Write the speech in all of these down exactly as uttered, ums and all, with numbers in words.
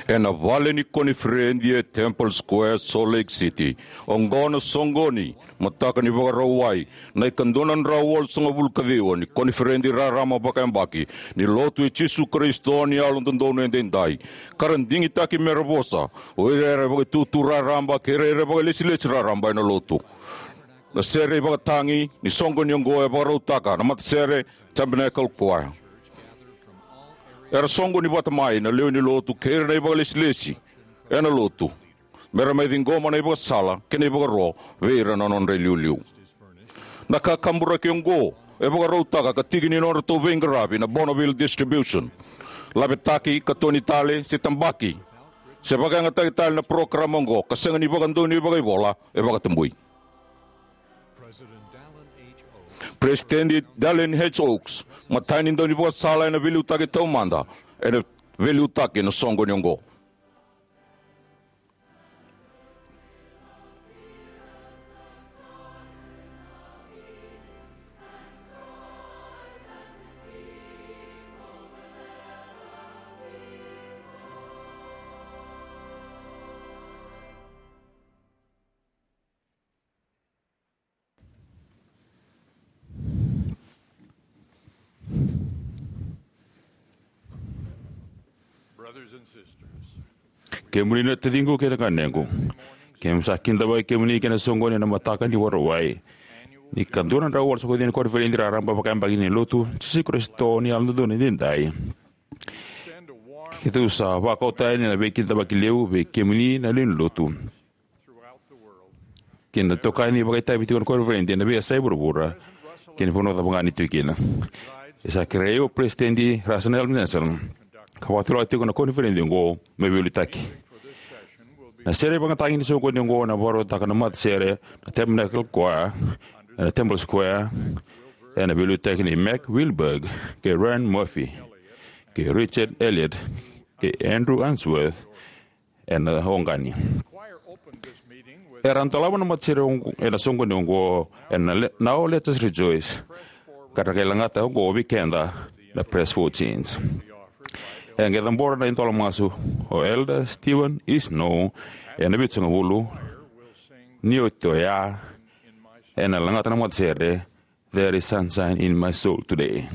Ena vale ni koniferedi e Temple Square, Salt Lake City, oqo na soqoni, mataka ni Vakarauwai, na ikadua na drau walusagavulu ka ciwa ni koniferedi rarama vakayabaki ni Lotu i Jisu Karisito ni Yalododonu Edaidai, ka ra digitaki me ra vosa o ira era vakaitutu raraba kei ira era vakailesilesi raraba ena Lotu. Na sere ivakatagi ni soqoni oqo e vakarautaka na matasere Tabernacle Choir. Era soqoni vata mai na lewe ni Lotu kei ira na ivakalesilesi ena Lotu me ra mai ciqoma na ivakasala kei na ivakaro vei ira na nodra iliuliu. Na kakaburaki oqo e vakarautaka ka tiki ni nodratou veiqaravi na Bonneville Distribution. Lavetaki ka toni tale se tabaki se vakayagataki tale na parokaramu oqo ka sega ni vakadonui vakaivola e vakatabui. President Dallin H. Oaks, matai ni daunivakasala ena veiliutaki taumada, ena veiliutaki na soqoni oqo. Kemuni na taciqu kei na ganequ, keimami sa kidavaki kemuni kei na soqoni ena mataka ni Vakarauwai ni ikadua na drau walusagavulu ka ciwa ni koniferedi raraba vakayabaki ni Lotu i Jisu Karisito ni Yalododonu Edaidai. Keitou sa vakau tani na veikidavaki levu vei kemuni na lewe ni Lotu kei na itokani vakaitavi tiko ena koniferedi ena veiyasai vuravura kei na vanua cava ga ni tu kina. E sa kerei au o Peresitedi Russell M. Nelson ka vakatulewataka tiko na koniferedi oqo me veiliutaki. Na sere ivakatagi ni soqoni oqo ena vakarautaka na matasere na Tabernacle Choir ena Temple Square, ena veiliutaki nei Mac Wilberg kei Ryan Murphy kei Richard Elliott kei Andrew Unsworth ena oqani. Era dolava na matasere oqo ena soqoni oqo ena le-, Now Let Us Rejoice, ka ra qai lagata oqo vei keda na Press for Change. E qai cabora na idola masu o Elder Steven E. Snow ena vitusagavulu. Ni oti oya, ena lagata na matasere There Is Sunshine in My Soul Today.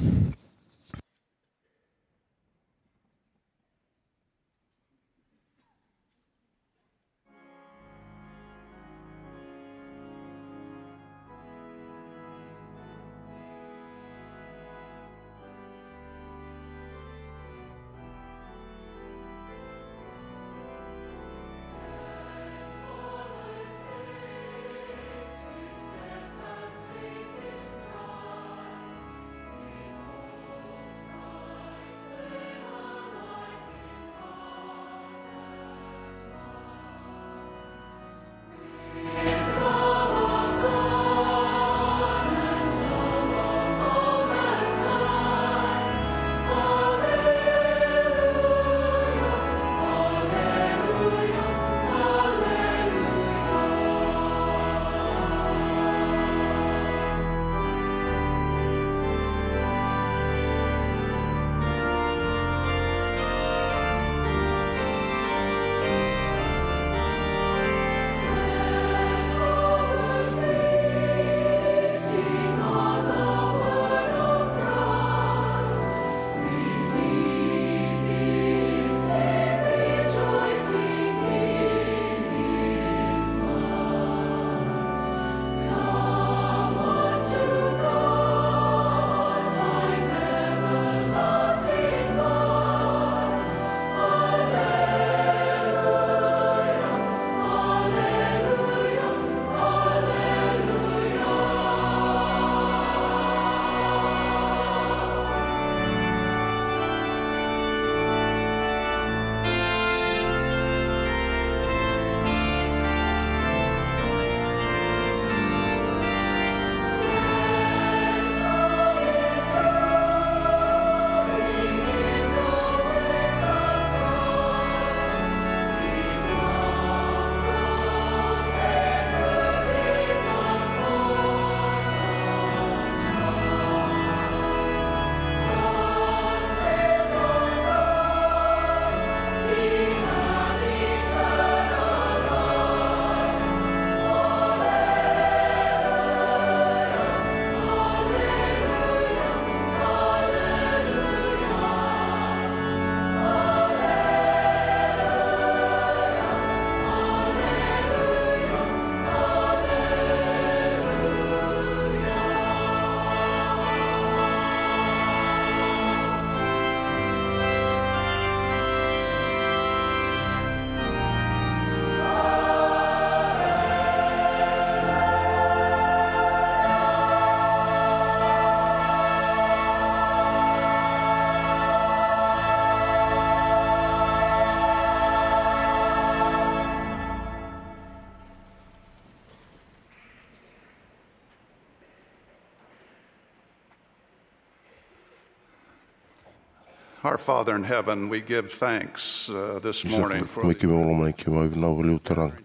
Our Father in heaven, we give thanks uh, this morning for the keimami lomalagi, keimami vinaka vakalevu turaga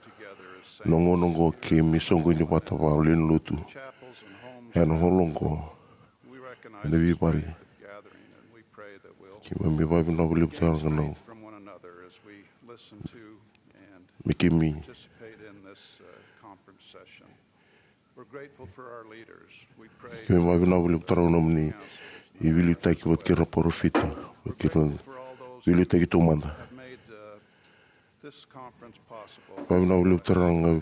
na gauna oqo keimami soqoni vata vakalewe ni lotu ena holo oqo ena veivale. Keimami vakavinavinaka vakalevu turaga na me keimami We're grateful for our leaders. We pray keimami vakavinavinaka vakalevu turaga na nomuni veiliutaki vata kei ira na parofita, vata kei ira na veiliutaki taumada. Have made uh, this conference possible. Vakavinavinaka vakalevu turaga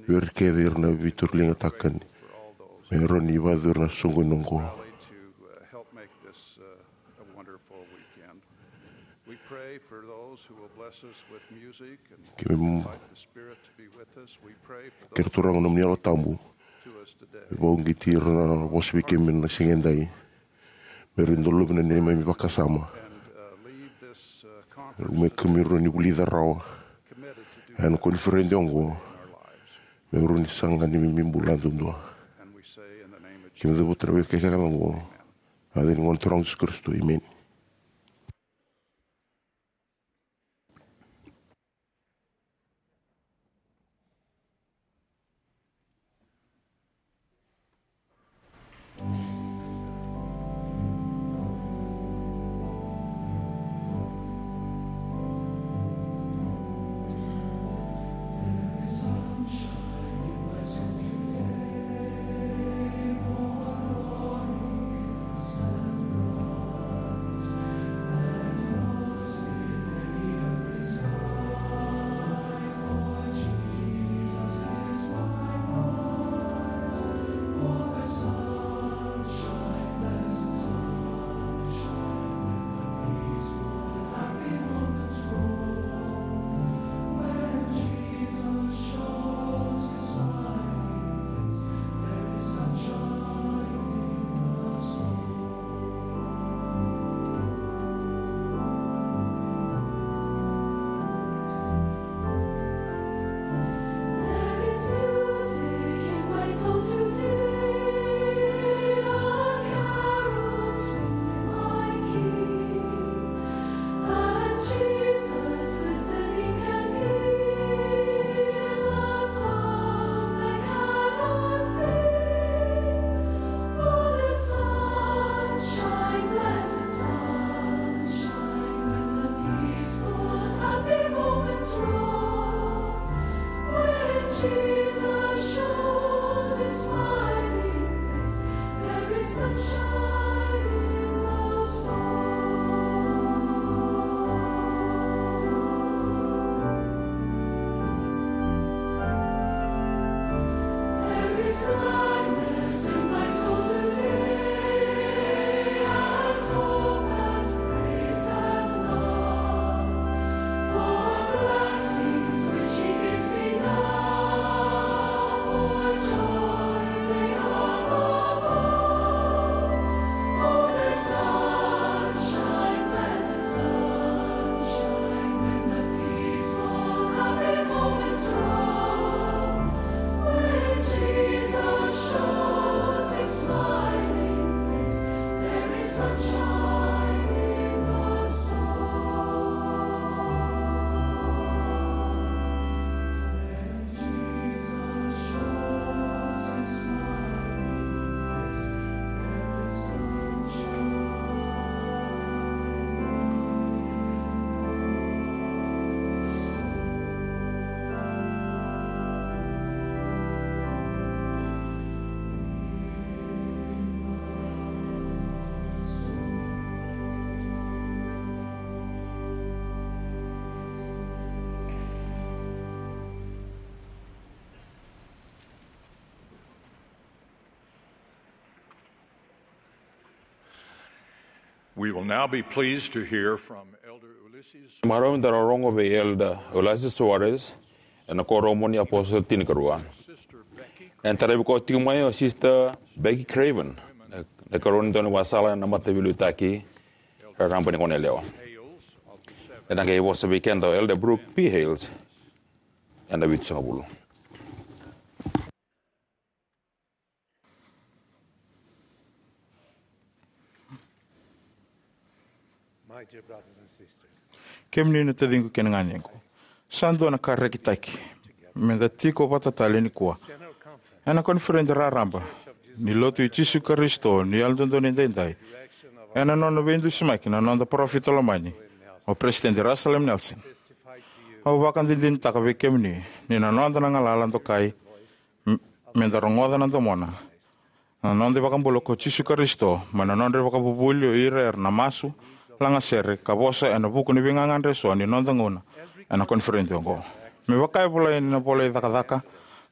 vei ira kece, ira na veituraga ni takani me rawa ni vakayacori na soqoni oqo. Rally to uh, help make this uh, a wonderful weekend. We pray for those who will bless us with music and invite the Spirit to be with us. We pray for those kei ira turaga na nomuni Yalo Tabu to us today. Me vakauqeti ira na vosa vei keimami na siga edai. Me rawa ni dolavi na neimami vakasama. And uh, leave this uh, conference me keimami rawa ni vulica rawa committed to do ena koniferedi oqo. Me rawa ni saga ni neimami bula duadua. And we say in the name of Keimami cavuta na veika kece oqo. Ena yaca ni Gone Turaga o Jisu Karisito, emeni. We will now be pleased to hear from Elder Ulisses. Marau me da rogoca vei Elder Ulisses Soares ena Kuoramu ni iApositolo Tinikarua. Ena taravi koya tiko mai o Sister Becky Craven, na ikarua ni daunivakasala ena mataveiliutaki, raraba ni goneyalewa. Ena qai vosa vei keda o Elder Brooke P. Hales ena vitusagavulu. Kemuni na taciqu kei na ganequ, sa dua na ka rekitaki me da tiko vata tale nikua ena koniferedi raraba ni Lotu i Jisu Karisito ni Yalododonu Edaidai, ena nona veidusimaki na noda parofita lomani, o Peresitedi Russell M. Nelson. Au vakadinadinataka vei kemuni ni na noda na galala dokai m- me da rogoca na domona, na noda iVakabula ko Jisu Karisito, mai na nodra ivakavuvuli o ira era na masu, lagasere, ka vosa ena vuku ni veigagadre eso ni noda gauna ena koniferedi oqo. Me vaka e volai ena ivola i Cakacaka,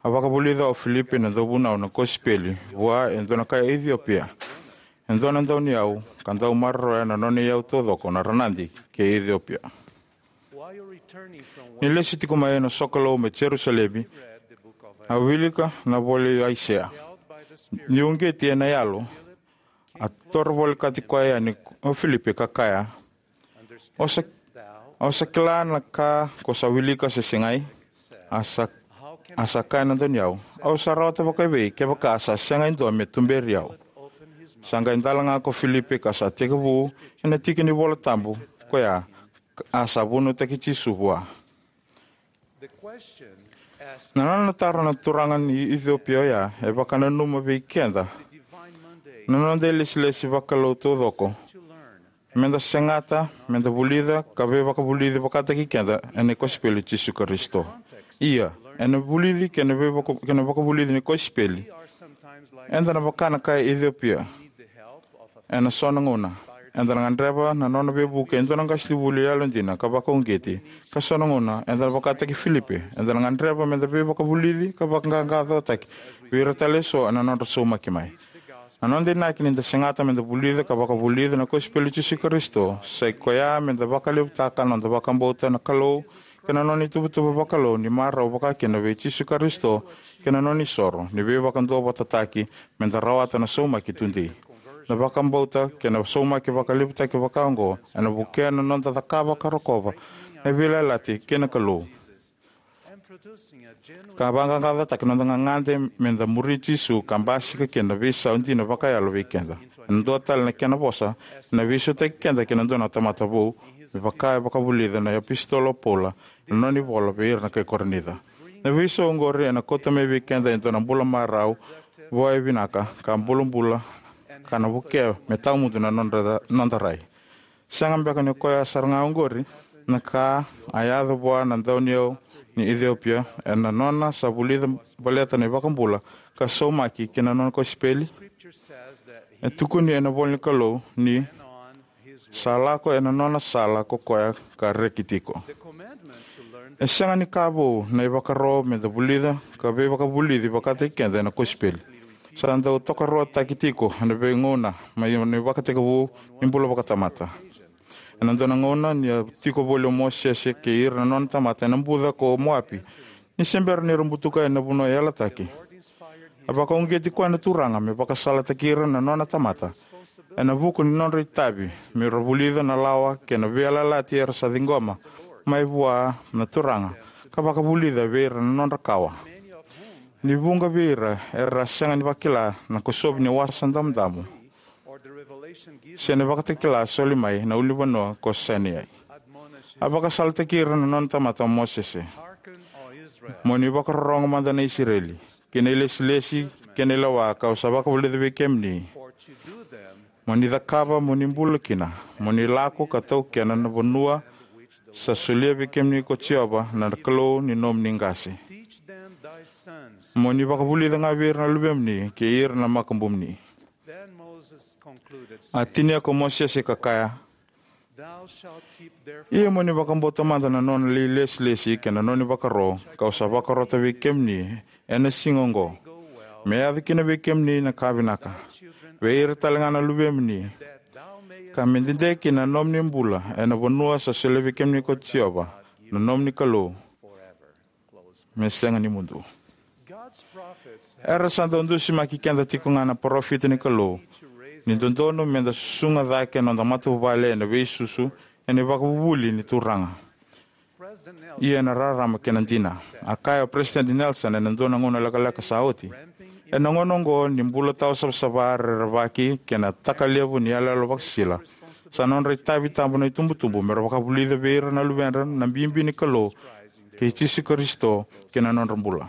a vakavulica o Filipi na dauvunau na kosipeli vua e dua na kai Iciopia, e dua na dauniyau, ka dau maroroya na nona iyau taucoko na Ranadi kei Iciopia. Ni lesu tiko mai na sokalou mai Jerusalemi, a wilika na ivola i Aisea. Ni uqeti ena yalo, a toro volekati koya yani o Filipi ka kaya, "O sa, o sa kila na ka ko sa wilika se segai?" A sa, a sa kaya na dauniyau, "Au sa rawata vakaevei kevaka sa sega e dua me tuberi au?" Sa qai dalaga ko Filipi ka sa tekivu ena tiki ni iVola Tabu koya, a sa vunautaki Jisu vua. Na nona taro na turaga ni Iciopia oya e vakananuma vei keda na noda ilesilesi vakalou taucoko, me da segata me da vulica ka veivakavulici vakataki keda ena kosipeli i Jisu Karisito. Ia, ena vulici kei na veivaka-, kei na vakavulici ni kosipeli, eda na vaka na kai Iciopia. Ena so na gauna eda na gadreva na nona veivuke e dua na qasenivuli yalodina ka vakauqeti, ka so na gauna eda na vakataki Filipi, eda na gadreva me da veivakavulici ka vakaqaqacotaki vei ira tale eso ena nodra saumaki mai. Na noda inaki ni da segata me da vulica ka vakavulica na kosipeli i Jisu Karisito, sa i koya me da vakalevutaka na noda vakabauta na Kalou kei na nona ituvatuva vakalou ni marau vakakina vei Jisu Karisito kei na nona isoro ni veivakaduavatataki me da rawata na saumaki tudei. Na vakabauta kei na saumaki vakalevutaki vakaoqo ena vukea na noda cakava ka rokova na veiyalayalati kei na Kalou, ka vaqaqacotaka na noda gagade me da muri Jisu ka basika kina na veisau dina vakayalo vei keda. Ena dua tale na kena vosa, ena veisautaki keda kei na dua na tamata vou, me vaka e vakavulica na iApositolo o Paula ena nona ivola vei ira na kai Korinica. Na veisau oqori ena kauta mai vei keda e dua na bula marau, vua e vinaka ka bulabula, ka na vukea me tawamudu na nodra, noda rai. Sega beka ni koya sara ga oqori na ka a yaco vua na dauniyau ni Iciopia ena nona sa vulica baleta na iVakabula ka saumaki kina nona kosipeli? E tukuni ena ivola ni Kalou ni sa lako ena nona sala ko koya ka reki tiko. E sega ni ka vou na ivakaro me da vulica ka veivakavulici vakataki keda ena kosipeli. Sa dau tokaruataki tiko ena veigauna mai na ivakatekivu ni bula vakatamata. Ena dua na gauna ni a tiko voli o Mosese kei ira na nona tamata ena buca ko Moapi, ni se bera ni ra butuka ena vanua yalataki, a vakauqeti koya na Turaga me vakasalataki ira na nona tamata ena vuku ni nodra itavi me ra vulica na lawa kei na veiyalayalati era sa ciqoma mai vua na Turaga, ka vakavulica vei ira na nodra kawa. Ni vuqa vei ira era sega ni vakila na kosovi ni Wasa Damudamu se na ivakatakila soli mai na ulunivanua ko Saineai. A vakasalataki ira na nona tamata o Mosese, "Mo ni vakarorogo mada na Isireli, kei na ilesilesi kei na ilewa kau sa vakavulica vei kemuni, mo ni cakava, mo ni bula kina, mo ni lako ka taukena na vanua sa solia vei kemuni ko Jiova na Kalou ni nomuni qase. Mo ni vakavulica ga vei ira na luvemuni kei ira na makubumuni." A tinia ko Mosese ka kaya, "Ia mo ni vakabauta mada na nona ilesilesi kei na nona ivakaro kau sa vakarota vei kemuni ena siga oqo, me yaco kina vei kemuni na ka vinaka, vei ira tale ga na luvemuni, ka me dede kina na nomuni bula ena vanua sa solia vei kemuni ko Jiova na nomuni Kalou, me sega ni mudu." Era sa dau dusimaki keda tiko ga na parofita ni Kalou ni dodonu me da susuga cake na noda matavuvale ena veisusu ena ivakavuvuli ni Turaga. Ia ena rarama kei na dina. A kaya o Peresitedi Nelson ena dua na gauna lekaleka sa oti, ena gauna oqo ni bula tawa savasava, rerevaki kei na takalevu ni yaloyalo vakasisila, sa nodra itavi tabu na itubutubu mera vakavulica vei ira na luvedra na bibi ni Kalou kei Jisu Karisito ki na nodra bula.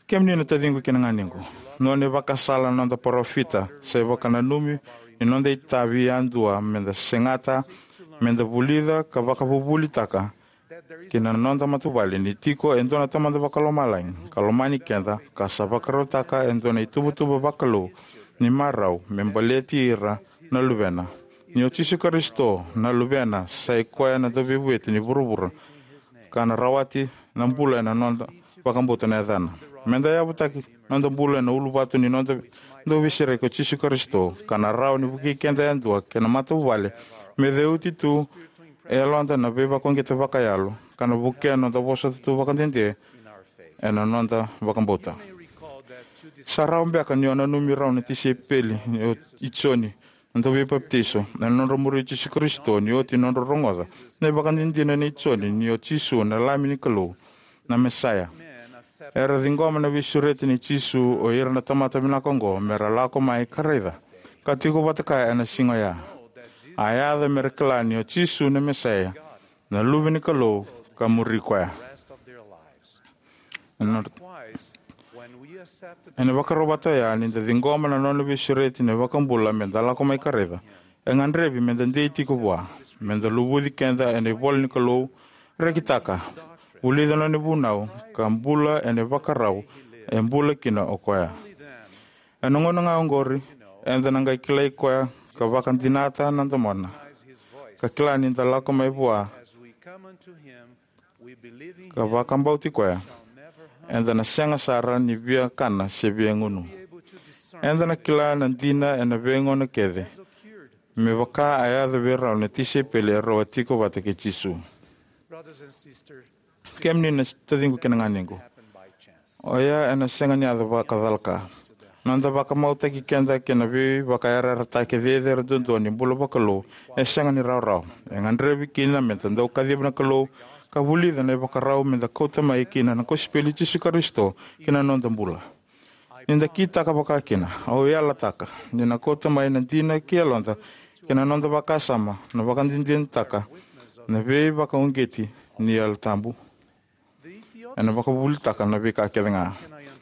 Kemuni na taciqu kei na ganequ, nona ivakasala na noda parofita sa ivakananumi ni noda itavi yadua meda segata meda vulica ka vakavuvulitaka ki na noda matavuvale ni tiko e dua na Tamada Vakalomalagi ka lomani keda, ka sa vakarautaka e dua na ituvatuva vakalou ni marau me baleti ira na luvena, ni o Jisu Karisito na Luvena sa i koya na Dauveivueti ni vuravura, ka na rawati na bula ena noda vakabauta na yacana. Meda yavutaki noda bula ena uluvatu ni noda Dauveisereki ko Jisu Karisito, ka na rawa ni vukei keda yadua kei na matavuvale me ceuti tu e yaloda na veivakauqeti vakayalo, ka na vukea noda vosota tu vakadede ena noda vakabauta. Sa rawa beka ni o nanumi rau na tisaipeli ni o, i Joni na Dauveipapitaiso ena nodra muri Jisu Karisito ni oti nodra rogoca na ivakadinadina nei Joni ni o Jisu na Lami ni Kalou, na Mesaia. Era ciqoma na veisureti nei Jisu o ira na tamata vinaka oqo mera lako mai ka raica, ka tiko vata kaya ena siga oya. A yaco mera kila ni o Jisu na Mesaia, na Luve ni Kalou, ka muri koya. Ena, ena vakarau vata oya, ni da ciqoma na nona veisureti na iVakabula meda lako mai ka raica, e gadrevi meda dei tiko vua, meda luvuci keda ena ivola ni Kalou, rekitaka, vulica nona ivunau, ka bula ena ivakarau e bula kina o koya. Ena gauna ga oqori eda na qai kilai koya ka vakadinata na domona, ka kila ni da lako mai vua ka vakabauti koya, eda na sega sara ni via kana se via gunu. Eda na kila na dina ena veigauna kece, me vaka a yaco vei rau na tisaipeli erau a tiko vata kei Jisu. Kemuni na taciqu kei na ganequ, oya ena sega ni yaco vakacalaka. Noda vakamautaki keda kei na veivakayarayarataki cecere duadua ni bula vakalou e sega ni rawarawa. E gadrevi kina meda dau kaciva na Kalou ka vulica na ivakarau meda kauta mai kina na kosipeli i Jisu Karisito ki na noda bula. Ni da kitaka vakakina, au yalataka ni na kauta mai na dina ki yaloda kei na noda vakasama na vakadinadinataka na veivakauqeti ni Yalo Tabu. Ena vakavuvulitaka na veika kece ga.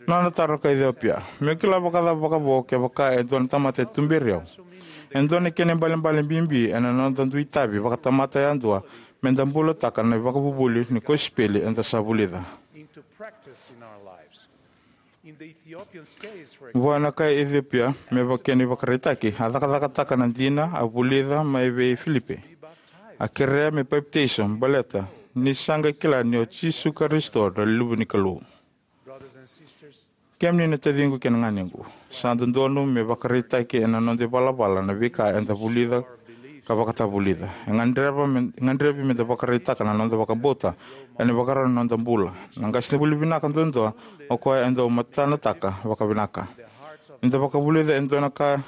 Nona taro ka Iciopia: Meu kila vakacava vakavo kevaka e dua na tamata e tuberi au? E dua na kena ibalebale bibi ena noda dui tavi vakatamata yadua meda bulataka na ivakavuvuli ni kosipeli eda sa vulica. Vua na kai Iciopia, me vaka kena ivakaraitaki, a cakacakataka na dina a vulica mai vei Filipe. A kerea me papitaiso baleta ni sa qai kila ni o Jisu Karisito na Luve ni Kalou. Kemuni na taciqu kei na ganequ, sa dodonu me vakaraitaki ena noda ivalavala na veika eda vulica ka vakatavulica. E gadreva me, gadrevi meda vakaraitaka na noda vakabauta ena ivakarau ni noda bula. Na qasenivuli vinaka duadua o koya e dau matanataka vakavinaka. Ni da vakavulica e dua na ka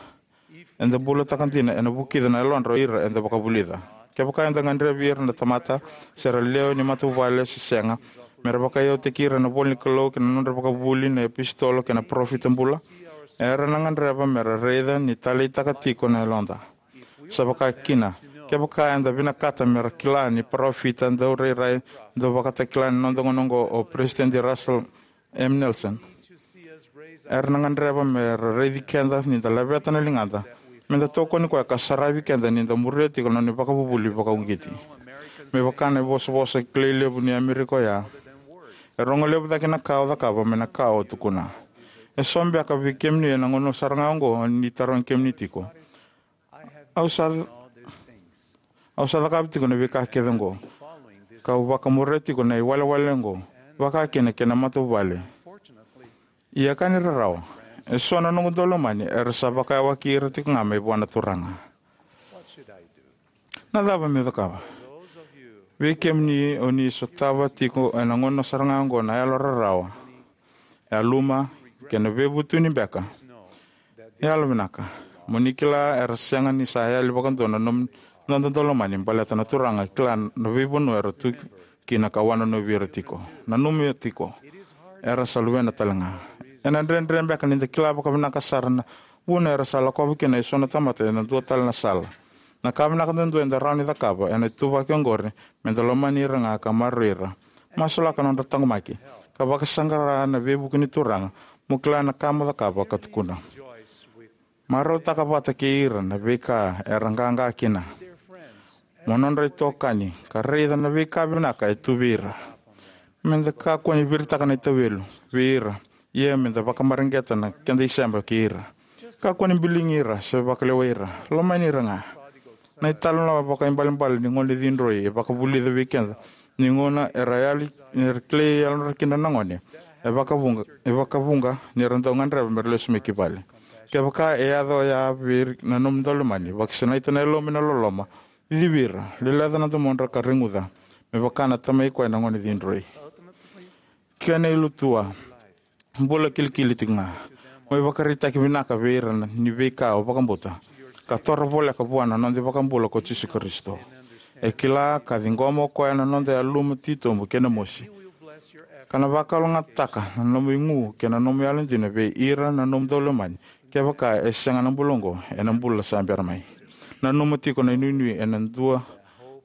eda bulataka dina, ena vukica na yalodra o ira eda vakavulica. Kevaka eda gadrevi ira na tamata, se ra lewe ni matavuvale se sega, mera vakaiyautaki ira ena ivola ni Kalou kei na nodra vakavuvuli na iapositolo kei na parofita bula, era na gadreva mera raica ni taleitaka tiko na yaloda. Sa vaka kina, kevaka eda vinakata mera kila ni parofita daurairai dauvakatakila ena noda gauna oqo o Peresitedi Russell M. Nelson, era na gadreva mera raici keda ni da laveta na ligada meda tokoni koya ka saravi keda ni da muria tiko na nona ivakavuvuli vakauqeti. Me vaka na ivosavosa kilai levu ni Amerika oya: E rogo levu cake na ka o cakava mai na ka o tukuna. Eso beka vei kemuni ena gauna sara ga oqo ni tarogi kemuni tiko: Au sa, au sa cakava tiko na veika kece oqo, kau vakamuria tiko na iwalewale oqo, vaka kina kei na matavuvale. Ia ka ni rarawa, eso na noqu daulomani era sa vakayawaki ira tiko ga mai vua na Turaga. Na cava meu cakava? Vei kemuni o ni sotava tiko ena gauna sara ga oqo na yalo rarawa, yaluma, kei na veivutuni beka, yalovinaka, mo ni kila era sega ni sa yali vakadua na nom-, noda daulomani, baleta na Turaga e kila na veivanua era tu kina ka wanonovi ira tiko. Nanuma tiko, era sa luvena tale ga. Ena dredre beka ni da kila vakavinaka sara na vuna era sa lakova kina eso na tamata ena dua tale na sala. Na ka vinaka duadua eda rawa ni cakava ena ituvaki oqori, me da lomani ira ga ka maroroi ira. Masulaka nodra taqomaki, ka vakasaqara na veivuke ni Turaga mo kila na ka mo cakava ka tukuna. Marautaka vata kei ira na veika era qaqa kina. Mo nodra itokani, ka raica na veika vinaka e tu vei ira. Me da kakua ni viritaka na itawelu vei ira, ia me da vakamareqeta na keda isema kei ira. Kakua ni biligi ira se vakalewai ira. Lomani ira ga. Na italanoa vakaibalebale ni gone cidroi e vakavulica vei keda ni gauna era yali, era kilai yalodra kina na gone, e vakavuqa, e vakavuqa ni ra dau gadreva me ra lesu mai ki vale. Kevaka e yaco oya vei ira na nomu daulomani, vakasinaita na yalomu ena loloma, cicivi ira, leleca na domodra ka reguca, me vaka na tamai koya na gone cidroi. Kena ilutua, bula kilikili tiko ga. Mo ivakaraitaki vinaka vei ira na, ni veika o vakabauta, ka toro voleka vua na noda iVakabula ko Jisu Karisito. E kila ka ciqoma o koya na noda yaluma titobu kei na mosi. Ka na vakalougatataka na nomu igu kei na nomu yalodina vei ira na nomu daulomani, kevaka e sega na bula oqo ena bula sa bera mai. Nanuma tiko na inuinui ena dua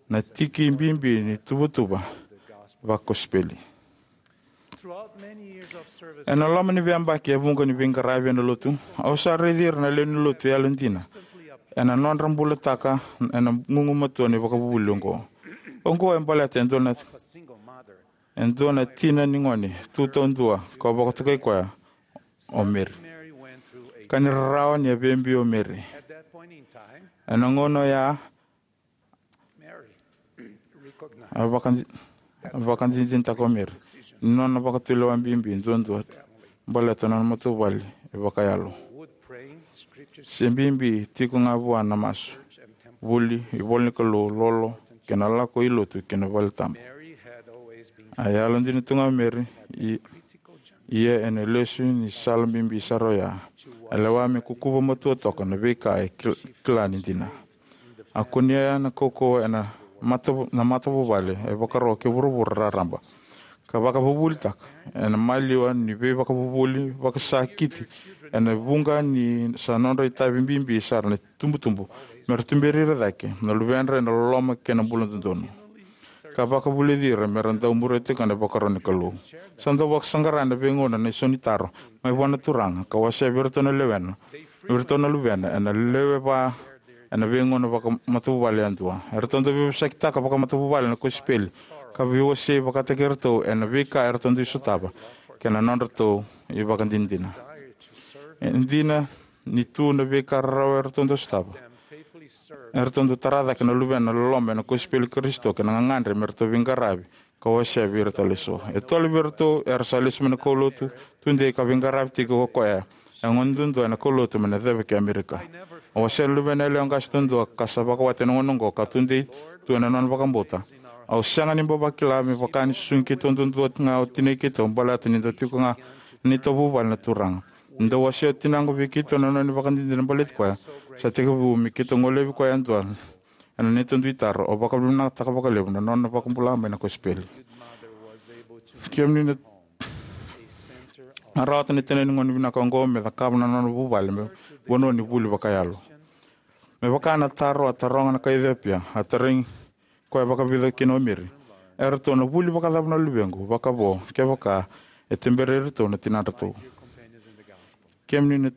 na tiki bibi ni tuvatuva vakosipeli. Ena loma ni veiyabaki e vuqa ni veiqaravi ena lotu, au sa raici ira na lewe ni lotu yalodina ena nodra bulataka ena gugumatua ni vakavuvuli oqo. Oqo e baleta e dua na, e dua na tina ni gone tu taudua ka vakatokai koya o Mary. Ka ni rarawa ni a veibiu o Mary. Ena gauna oya, a vakadi-, a vakadinadinataka o Mary ni nona vakatulewa bibi duadua baleta na nona matavuvale e vakayalo. Se bibi tiko ga vua na masu, vuli, ivolanikalou, lolo, kei na lako i lotu kei na valetabu. A yalodina tu ga o Mary, i-, ia ena lesu ni sala bibi sara oya, a lewa me kukuva matua toka na veika e kil-, kila ni dina. A kunea na kaukauwa ena mata-, na matavuvale e vakaro kei vuravura raraba, ka vakavuvulitaka ena maliwa ni veivakavuvuli vakasakiti ena vuqa ni sa nodra itavi bibi sara na itubutubu me ra tuberi ira cake na luvedra ena loloma kei na bula dodonu, ka vakavulici ira me ra dau muria tiko na ivakaro ni Kalou. Sa dau vakasaqara ena veigauna na isau ni taro mai vua na Turaga ka wasea vei iratou na luvena, vei iratou na luvena ena lewe va ena veigauna vakamatavuvale yadua. Eratou dau veivosakitaka vakamatavuvale na kosipeli ka veiwasei vakataki iratou ena veika eratou dui sotava kei na nodratou ivakadinadina. E dina ni tu na veika rarawa eratou dau sotava, eratou dau tara cake na luvena na loloma ena kosipeli i Karisito kei na gagadre me ratou veiqaravi ka wasea vei ira tale eso. E tolu vei iratou era sa lesu mai na kaulotu tudei ka veiqaravi tiko ko koya e gone duadua ena kaulotu mai na ceva ki Amerika. Au wasea na luvena yalewa qase duadua ka sa vakawati ena gauna oqo ka tudei tu ena nona vakabauta. Au sega ni bau vakila me vaka ni susugi keitou duadua ga o tinai keitou baleta ni dau tiko ga na neitou vuvale na Turaga. Ni dau wasea o tinaqu vei keitou na nona ivakadinadina baleti koya, sa tekivu me keitou golevi koya yadua ena neitou dui taro. Au vakavinavinakataka vakalevu na nona vakabula mai na kosipeli. Kemuni na, na rawata na tina ni gone vinaka oqo me cakava na nona vuvale me vanua ni vuli vakayalo. Me vaka na taro a taroga na kai Iciopia, a tarogi koya vakavica kina o Mary, eratou na vuli vakacava na luvequ vakavo kevaka e tuberi iratou na tinadratou? Kemuni na,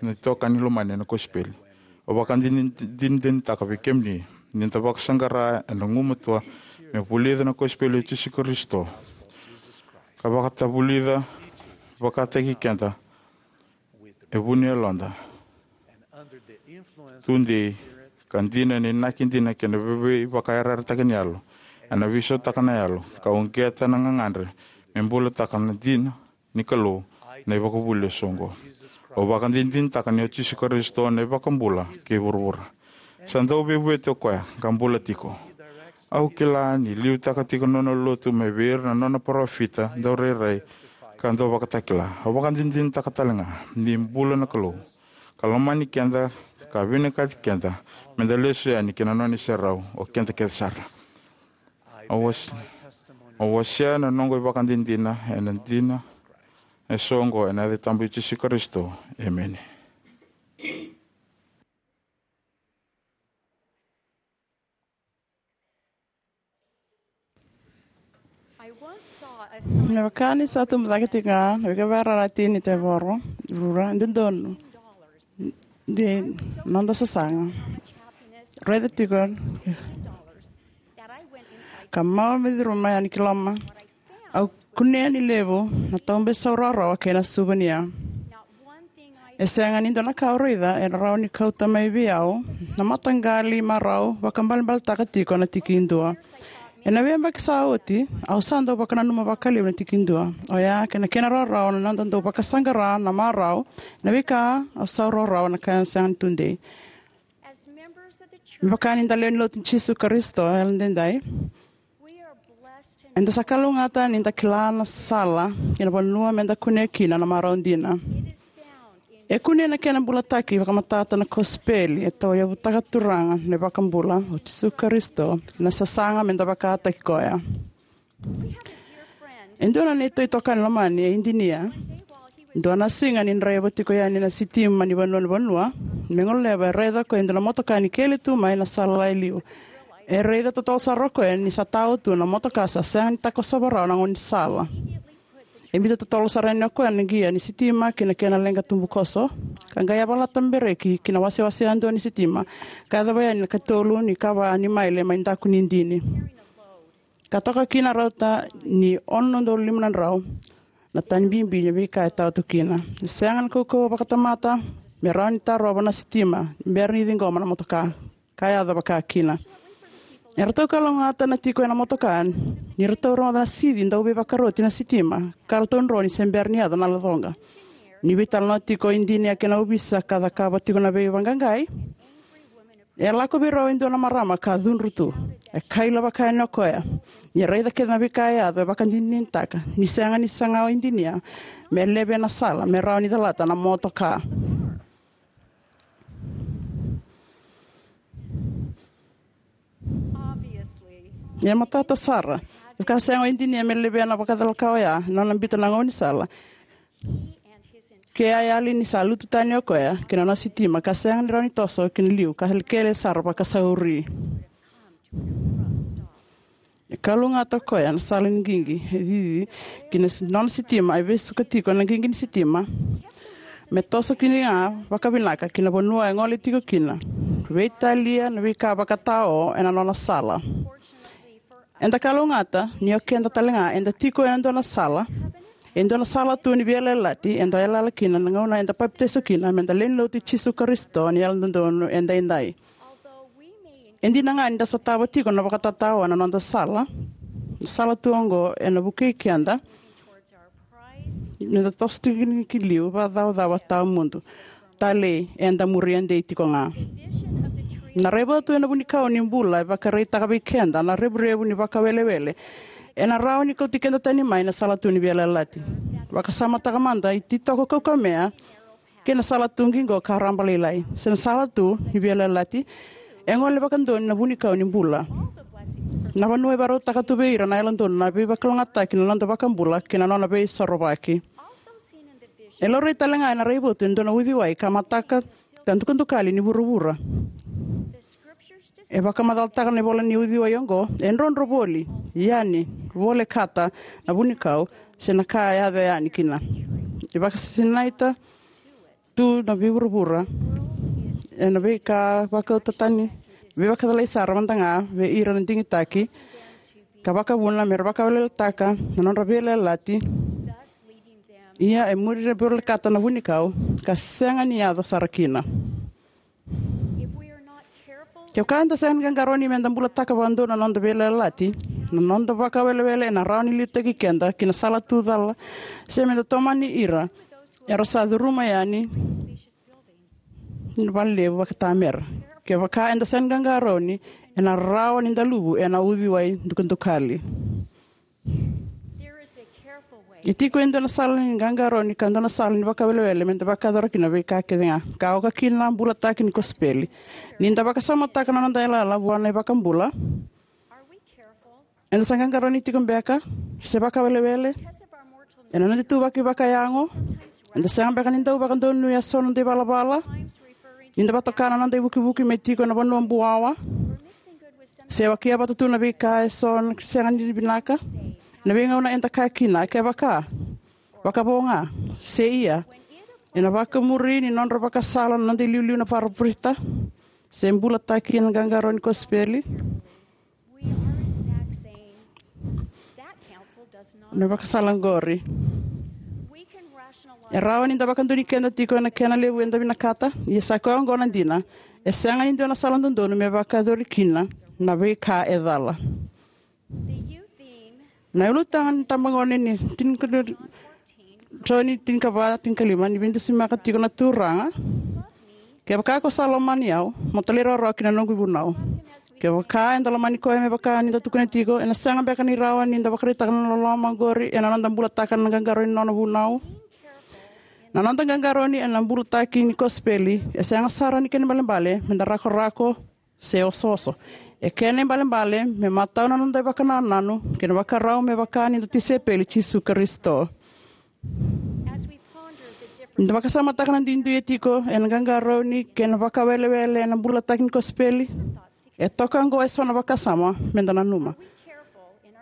na itokani lomani ena kosipeli, au vakadinadinataka vei kemuni ni da vakasaqara ena gumatua me vulica na kosipeli o Jisu Karisito, ka vakatavulica vakataki keda e vu ni yaloda tudei, ka dina na inaki dina kei na veivakayarayarataki ni yalo, ena veisautaka na yalo ka uqeta na gagadre me bulataka na dina ni Kalou na ivakavuvuli eso oqo. Au vakadinadinataka ni o Jisu Karisito na iVakabula kei vuravura. Sa dau veivueti o koya ka bula tiko. Au kila ni liutaka tiko na nona lotu mai vei ira na nona parofita daurairai ka dau vakatakila. Au vakadinadinataka tale ga ni bula na Kalou, ka lomani keda, ka vinakati keda Me da lesu yani ki na nona iserau, o keda kece sara. Au was-, au wasea na noqu ivakadinadina ena dina e so oqo ena yaca tabu i Jisu Karisito. Emeni. Me vaka ni sa tubu cake tiko ga na veika vakararati ni tevoro, rura, dodonu, de noda sasaga. Raica tiko ka mau me curuma yani ki loma. Au kunea ni levu na taube saurawarawa kei na suvania. E sega ni dua na ka au raica ena rawa ni kauta mai vei au na mataqali marau vakabalebaletaka tiko na tiki dua. Ena veiyabaki sa oti, au sa dau vakananuma vakalevu na tiki dua. Oya kei na kena rawarawa na noda dau vakasaqara na marau, na veika au saurawarawa na ka e sega ni tudei. Me vaka ni da lewe ni lotu i Jisu Karisito e yalodaidai, eda sa kalougata ni da kila na sala kei na vanua me da kunea kina na marau dina. E kunei na kena bulataki vakamatata na kosipeli e tauyavutaka Turaga na iVakabula o Jisu Karisito, na sasaga me da vakataki koya. E dua na neitou itokani lomani e Idinia. Dua na siga ni draiva tiko yani na sitima ni vanua ni vanua me goleva, e raica ko e dua na motoka ni kele tu mai na sala e liu. E raica totolo sara o koya ni sa tao tu na motoka, sa sega ni takosova rawa na gaunisala. E biuta totolo sara yani o koya na qia ni sitima ki na kena leqa tubukoso, ka qai yavalata bereki ki na wasewase yadua ni sitima, ka yacova yani na katolu ni kava ni maile mai daku ni idini. Ka toka kina rauta ni ono na udolu lima na drau na tani bibi ni veika e tao tu kina. E sega na kaukauwa vakatamata me rawa ni tarova na sitima ni bera ni ciqoma na motoka ka yaco vaka kina. E ratou kalougata na tiko ena motoka ni ratou rogoca na sici dau veivakaroti na sitima, ka ratou droni se bera ni yaco na lacoqa. Ni veitalanoa tiko o Idinia kei na ovisa ka cakava tiko na veivaqaqai, e lako vei rau e dua na marama ka cudru tu. E kaila vaka yani o koya ni raica kece na veika e yaco, e vakadinadinataka ni sega ni saga o Idinia me leve ena sala me rawa ni calata na motoka. E matata sara, ka sega o Idinia me levea na vakacalaka oya ena nona biuta na gaunisala. Ke a yali ni sa lutu tani o koya ki na nona sitima ka sega ni rawa ni toso ki na liu ka kele sara vakasauri. E kalougata o koya na sala ni qiqi e cici ki na si-, nona sitima, e vesuka tiko na qiqi ni sitima me toso kina ga vakavinaka ki na vanua e gole tiko kina, veitalia na veika vakatao ena nona sala. Eda kalougata ni o keda tale ga eda tiko ena dua na sala, e dua na sala tu ni veiyalayalati eda yalayala kina na gauna eda papitaiso kina me da lewe ni lotu i Jisu Karisito ni Yalododonu Edaidai. E dina ga ni da sotava tiko na vakatatao ena noda sala, na sala tu oqo ena vukei keda ni da toso tiko ki liu vakacaucau tawamudu. Talei, eda muria dei tiko ga. Na raivotu ena vunikau ni bula e vakaraitaka vei keda na revurevu ni vakawelewele ena rawa ni kauti keda tani mai na sala tu ni veiyalayalati. Vakasamataka mada ititoko kaukamea kei na sala tu qiqo ka rabalailai. Se na sala tu ni veiyalayalati e gole vakadodonu na vunikau ni bula. Na vanua e vakarautaka tu vei ira na yalododonu na veivakalougatataki na noda vakabula kei na nona veisorovaki. E laurai tale ga ena raivotu e dua na uciwai ka mataka ka dukadukali ni vuravura. E vakamacalataka na ivola ni uciwai oqo e drodro voli yani, volekata na vunikau se na ka e yaco yani kina. E vakasinaita tu na veivuravura ena veika vakauta tani, veivakacalai sara mada ga vei ira na digitaki ka vakavuna me ra vakaweleweletaka na nodra veiyalayalati. Ia e muri na volekata na vunikau ka sega ni yaco sara kina. Kevaka eda sega ni qaqarauni me da bulataka vakadodonu na noda veiyalayalati, na noda vakawelewele ena rawa ni liutaki keda ki na sala tu cala, se me da tomani ira era sa curuma yani na valelevu vakaitamera. Kevaka eda sega ni qaqarauni, ena rawa ni da luvu ena uciwai dukadukali. E tiko e dua na sala ni qaqarauni ka dua na sala ni vakawelewele me da vakayacora kina na veika kece ga ka oka kina na bulataki ni kosipeli. Ni da vakasamataka na noda yalayala vua na iVakabula, eda sa qaqarauni tiko beka se vakawelewele ena noda ituvaki vakayago? Eda sega beka ni dau vakadonuya so na noda ivalavala ni da vakatoka na noda ivukivuki me tiko ena vanua buwawa, se wakia vata tu na veika e so na sega ni vinaka? Ena veigauna eda kaya kina, kevaka, vakavo ga, se ia. Ena vakamuri ni nodra vakasala na noda iliuliu na paraparofita se bulataki ena qaqarauni kosipeli, na vakasala oqori. E rawa ni da vakadonui keda tiko ena kena levu eda vinakata, ia sa koya oqo na dina: e sega ni dua na sala dodonu me vakayacori kina na veika e cala. Na ulutaga ni tabagone ni tinikadua, Joni tinikava, tinikalima, ni veidusimaka tiko na Turaga: Kevaka ko sa lomani au, mo talairawarawa ki na noqu ivunau. Kevaka eda lomani koya me vaka ni da tukuna tiko, ena sega beka ni rawa ni da vakaraitaka na loloma oqori ena noda bulataka na qaqarauni ni nona vunau? Na noda qaqarauni ena bulataki ni kosipeli e sega sara ni kena ibalebale me da rakorako se osooso. E kena ibalebale me matau na noda ivakanananu kei na vakarau me vaka ni da tisaipeli i Jisu Karisito. Ni da vakasamataka na duidui e tiko ena qaqarauni kei na vakawelewele ena bulataki ni kosipeli, e toka oqo e so na vakasama me da nanuma.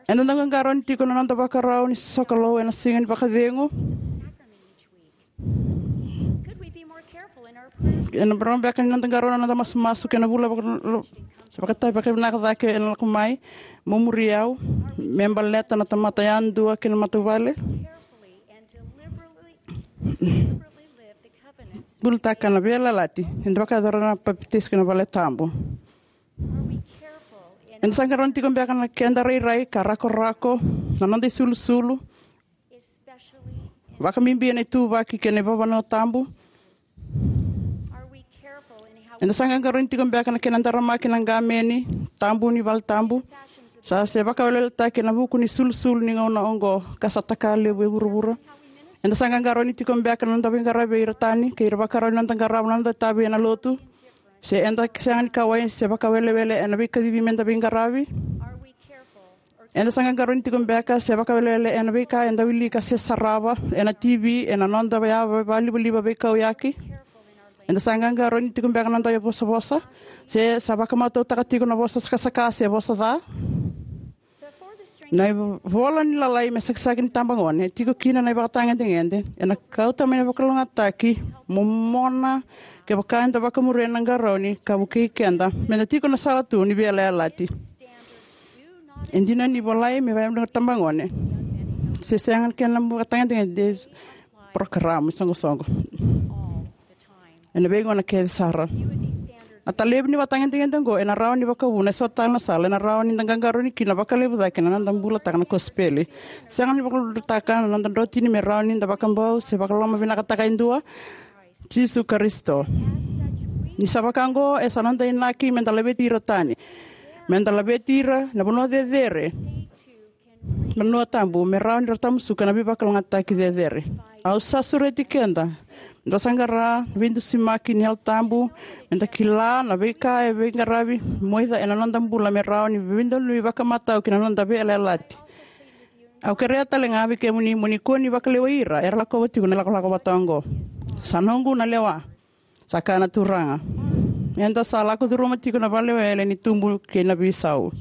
Eda dau qaqarauni tiko na noda vakarau ni sokalou ena siga ni vakacegu? Ena rawa beka ni noda qarauna na noda masumasu kei na vula vaka-, se vakatavi vakavinaka cake ena lako mai? Mo muri au me baleta na tamata yadua kei na matavuvale. Bulataka na veiyalayalati eda vakayacora na papitaiso kei na valetabu. Eda sa qarauna tiko beka na keda rairai ka rakorako, na noda isulusulu, vakabibi ena ituvaki kei na ivavanua tabu? Eda sa qaqarauni tiko beka na kena daramaki na qameni tabu ni valetabu, sa se vakaweleweletaki ena vuku ni sulusulu ni gauna oqo ka sa taka levu e vuravura? Eda sa qaqarauni tiko beka na noda veiqaravi vei ira tani kei ira vakarau ni noda qarava na noda itavi ena lotu, se eda sega ni kauwai se vakawelewele ena veikacivi me da veiqaravi? Eda sa qaqarauni tiko beka se vakawelewele ena veika eda wilika se sarava ena T V, ena noda yava vakalivaliva veikauyaki? Eda sa qaqarauni tiko beka na noda ivosavosa, se sa vakamatautaka tiko na vosa sakasaka se vosa ca? Na ivola ni lalai me sakisaki ni tabagone e tiko kina na ivakatagedegede ena kauta mai na vakalougatataki momona kevaka eda vakamuria na qarauni ka vukei keda me da tiko na sala tu ni veiyalayalati. E dina ni volai me vakayagataki na tabagone, se sega na kena vakatagedegede, porokaramu, isoqosoqo ena veigauna kece sara. Na talevu ni vakatagedegede oqo ena rawa ni vakavuna e so tale na sala ena rawa ni da qaqarauni kina vakalevu cake na noda bulataka na kosipeli. Sega ni vakalougatataka na noda drotini me rawa ni da vakabau se vakalomavinakataka e dua, Jisu Karisito. Ni sa vaka oqo, e sa noda inaki me da laveti ira tani, me da laveti ira na vanua cecere, na vanua tabu, me rawa ni ra tamusuka na veivakalougatataki cecere. Au sa sureti keda me da saqara na veidusimaki ni Yalo Tabu, me da kila na veika e veiqaravi moica ena noda bula me rawa ni veidonui vakamatau ki na noda veiyalayalati. Au kerea tale ga vei kemuni mo ni kua ni vakalewai ira era lakova tiko na ilakolako vata oqo. Sa noqu na lewa, sa kaya na Turaga. Eda sa lako curuma tiko na valewele ni tubu kei na veisau.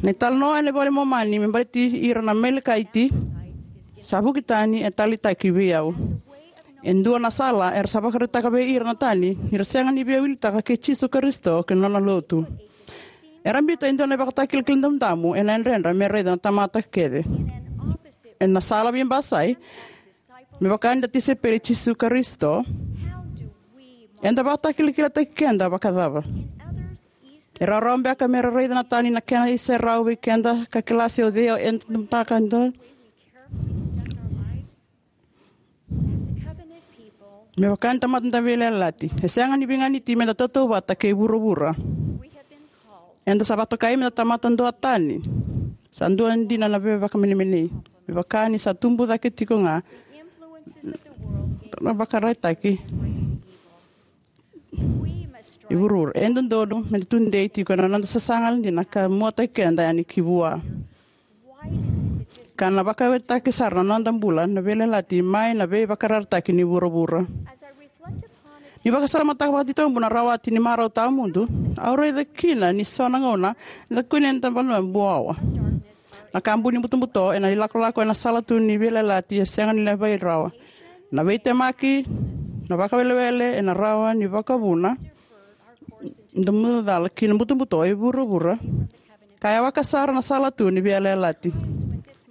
Na italanoa ena iVola i Momani me baleti ira na Amalekaiti sa vuki tani e taleitaki vei au. E dua na sala era sa vakaraitaka vei ira na tani ni ra sega ni via wilitaka kei Jisu Karisito kei na nona lotu. Era biuta e dua na ivakatakilakila damudamu ena yadredra me raica na tamata kece. Ena sala veibasai, me vaka ni da tisaipeli i Jisu Karisito, eda vakatakilakilataki keda vakacava? E rawarawa beka me ra raica na tani na kena iserau vei keda ka kila se o cei eda baka e dua? Me vaka ni tamata da veiyalayalati, e sega ni veiganiti me da tautauvata kei vuravura. Eda sa vakatokai me da tamata duatani. Sa dua dina na veivakamenemenei. Me vaka ni sa tubu cake tiko ga na vakaraitaki e vuravura, e dodonu me da tudei tiko ena noda sasaga dina ka muataki keda yani ki vua. Ka na vakawetaki sara na noda bula na veiyalayalati mai na veivakararataki ni vuravura. Ni vakasamataka vakatitobu na rawati ni marau tawamudu, au raica kina ni so na gauna eda kune eda vanua buawa. Na ka buni butobuto ena ilakolako ena sala tu ni veiyalayalati e sega ni levai rawa. Na veitemaki, na vakawelewele ena rawa ni vakavuna da mucala ki na butobuto e vuravura. Ka yawaka sara na sala tu ni veiyalayalati.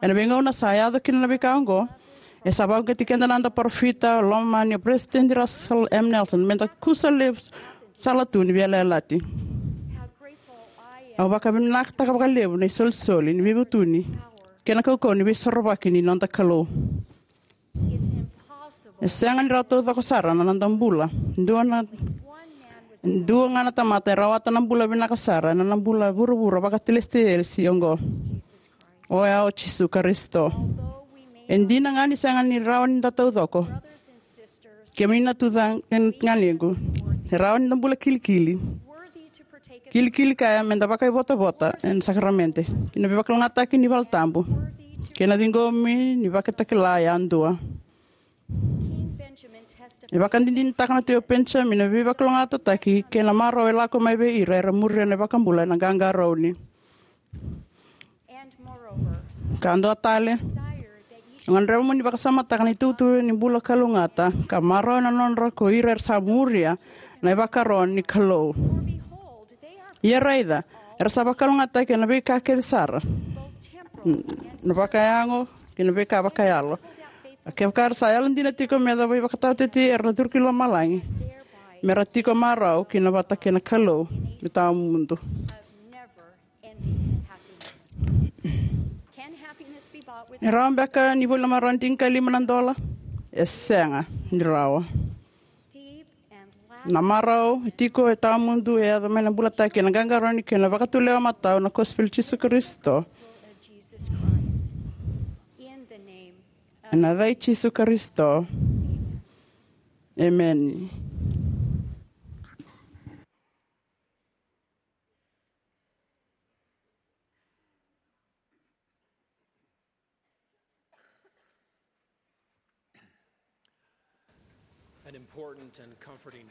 Ena veigauna sa yaco kina na veika oqo, e sa vakauqeti keda na noda parofita lomani, o Peresitedi Russell M. Nelson, me da kusa levu sala tu ni veiyalayalati. Au vakavinakataka vakalevu na isolisoli ni veivutuni kei na kaukauwa ni veisorovaki ni noda Kalou. E sega ni rawa taucoko sara na noda bula. Dua na, dua ga na tamata e rawata na bula vinaka sara ena bula vuravura vakatelesitelesi oqo. Oya o Jisu Karisito. E dina ga ni sega ni rawa ni da taucoko, kemuni na tucake kei na ganequ, e rawa ni da bula kilikili. Kilikili kaya me da vakaivotavota ena sakaramede. Ki na veivakalougatataki ni valetabu kei na ciqomi ni vakatakila yadua. E vakadinadinataka na Tui o Penijamini na veivakalougatataki kei na marau e lako mai vei ira era muria na iVakabula ena qaqarauni. Ka dua tale, au gadreva mo ni vakasamataka na itukutuku ni bula kalougata ka marau ena nodra ko ira era sa muria na ivakaro ni Kalou. Ia raica, era sa vakalougatataki ena veika kece sara, na vakayago kei na veika vakayalo. A kevaka era sa yalodina tiko me yacova ivakataotioti, era na curu ki lomalagi, me ra tiko marau kina vata kei na Kalou me tawamudu. E rawa beka ni voli na marau ena tinikalima na dola? E sega ni rawa. Na marau e tiko, e tawamudu, e yaco mai na bulataki ena qaqarauni kei na vakatulewa matau na kosipeli i Jisu Karisito. Ena yaca i Jisu Karisito. Emeni.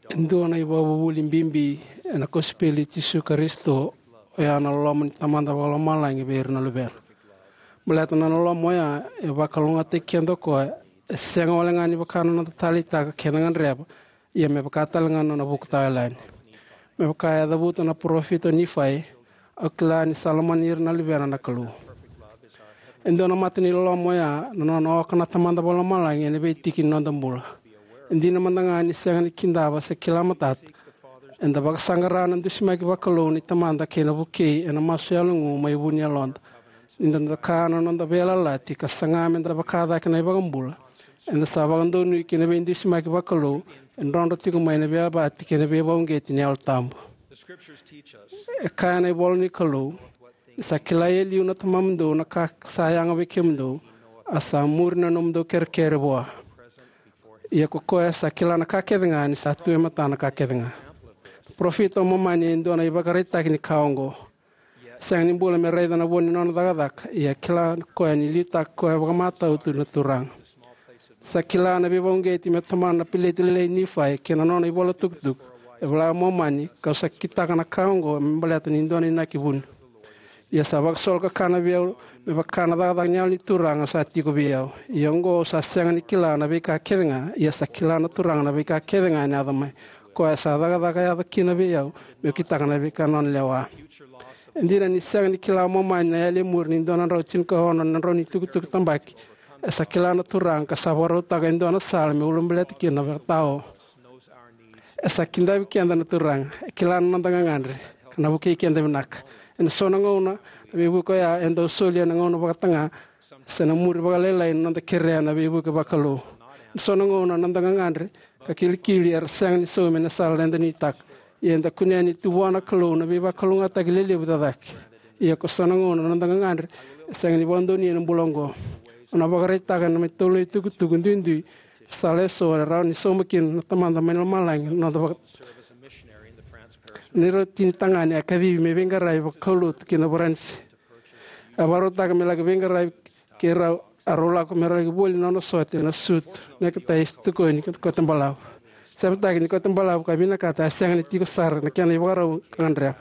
E dua na ivakavuvuli bibi ena kosipeli i Jisu Karisito, oya na loloma ni Tamada Vakalomalagi vei ira na luvena. Baleta na loloma oya e vakalougatataki keda o koya, e sega wale ga ni vaka na noda taleitaka kei na gadreva, ia me vaka tale ga na nona vuku tawayalani. Me vaka e cavuta na parofita o Nifai, au kila ni sa lomani ira na luvena na Kalou. E dua na mata ni loloma oya na nona oka na Tamada Vakalomalagi ena veitiki ni noda bula. E dina mada ga ni sega ni kidava se kila matata, eda vakasaqara na dusimaki vakalou ni Tamada kei na vukei ena masu yalogu mai vu ni yaloda. Ni da doka na noda veiyalayalati ka saga me da vaka cake na iVakabula, eda sa vakadonui ki na veidusimaki vakalou e drodro tiko mai na veiyabaki kei na veivakauqeti ni Yalo Tabu. E kaya na ivola ni Kalou, ni sa kila e liu na Tamamudou na ka sa yaga vei kemudou, a sa muri na nomudou kerekere vua. Ia ko koya sa kila na ka kece ga ni sa tu e matana na ka kece ga. Parofita o Momani e dua na ivakaraitaki ni ka oqo. Sega ni bula me raica na vo ni nona cakacaka, ia kila koya ni liutaka koya vakamatau tu na Turaga. Sa kila na veivakauqeti me tomana na peleti lailai i Nifai kei na nona ivola tukutuku, e vola o Momani, kau sa kitaka na ka oqo me baleta ni dua na inaki vuni. Ia sa vakasolo kakana vei au me vaka na cakacaka ni Yalo ni Turaga sa tiko vei au. Ia oqo au sa sega ni kila na veika kece ga, ia sa kila na Turaga na veika kece ga ena yaco mai. Koya sa cakacaka yaco kina vei au, meu kitaka na veika nona lewa. E dina ni sega ni kila o Momani na yali e muri ni dua na drau tinikaono na drau ni tukutuku tabaki, e sa kila na Turaga ka sa vakarautaka e dua na sala me ulabaleta kina na vakatao. E sa kidavi keda na Turaga, e kila na noda gagadre, ka na vukei keda vinaka. Ena so na gauna, na veivuke oya e dau solia na gauna vakataga, se na muri vakalailai na noda kerea na veivuke vakalou. Ena so na gauna na noda gagadre ka kilikili era sega ni saumi ena sala eda nuitaka. Ia eda kunea ni tu vua na Kalou na veivakalougatataki lelevu cake. Ia ko so na gauna na noda gagadre e sega ni vakadonuya ena bula oqo. Au na vakaraitaka ena matolu na itukutuku duidui e sala eso e rawa ni sauma kina na Tamada mai lomalagi na noda vaka. Ni rau tini tagane a kacivi me veiqaravi vakaulotu ki na Varanise. A vakarautaka me laki veiqaravi kei rau, a rau lako me rau laki voli na nona sote, na sutu, necktie, se tokoni, kote balavu. Sevaki ni kote balavu ka vinakata a sega ni tiko sara na kena ivakarau ka gadreva.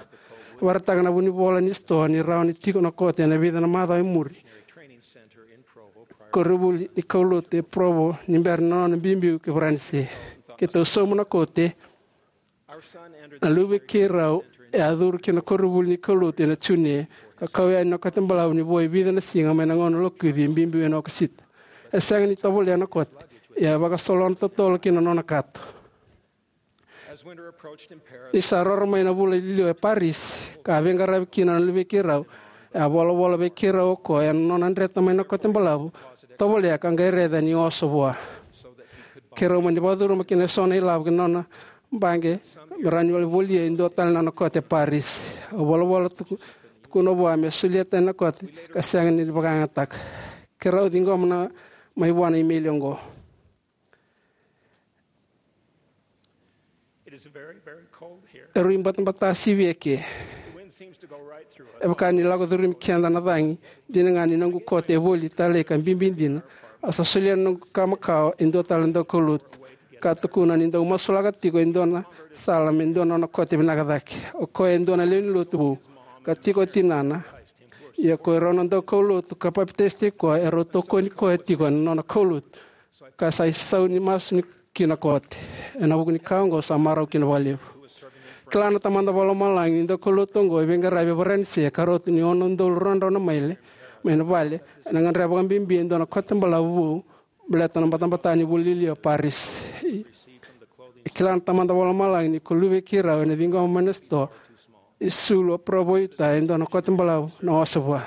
A vakaraitaka na vunivola ni sitoa ni rawa ni tiko na kote ena vica na macawa e muri. Koronivuli ni kaulotu e Provo ni bera na nona biubiu ki Varanise. Keitou sauma na kote. Na luve keirau e a curu ki na koronivuli ni kaulotu ena June, ka kau yani na kote balavu ni vo e vica na siga mai na gauna lokuci e biubiu ena Okosita. E sega ni tovolea na kote, ia e vakasolona totolo ki na nona kato. Ni sa roro mai na vula i liu e Paris, ka a veiqaravi kina na luve keirau, e a volavola vei keirau o koya ena nona dreta mai na kote balavu, tovolea ka qai raica ni oso vua. Keirau mani vakacuruma kina eso na ilavo ki na nona baqe me rawa ni volia e dua tale na nona kote e Paris. Au volavola tuku, tukuna vua me solia tani na kote ka sega ni vakayagataka. Keirau ciqoma na mai vua na imeli oqo. It is very, very cold here. E rui batabata sivi eke. The wind seems to go right through us. E vaka ni lako curumi keda na cagi. Dina ga ni noqu kote e voli tale ka bibi dina, au sa solia na noqu ka makawa e dua tale na daukaulotu, ka tukuna ni dau masulaka tiko e dua na sala me dua na nona kote vinaka cake. O koya e dua na lewe ni lotu vou, ka tiko o tinana. Ia ko irau na daukaulotu ka papitaisotaki koya, erau tokoni koya tiko ena nona kaulotu, ka sa isau ni masu ni ki na kote. Ena vuku ni ka oqo sa marau kina vakalevu. Kila na Tamada Vakalomalagi ni daukaulotu oqo e veiqaravi e Varanise, ka rauta ni ono na udolu ruadrau na maile mai na vale, ena gadreva vakabibi e dua na kote balavu vou, baleta na batabata ni vula i liu e Paris. E kila na Tamada Vakalomalagi ni ko luve keirau ena ciqoma mai na sitoa e Sulu, Provo, Utah, e dua na kote balavu na oso vua.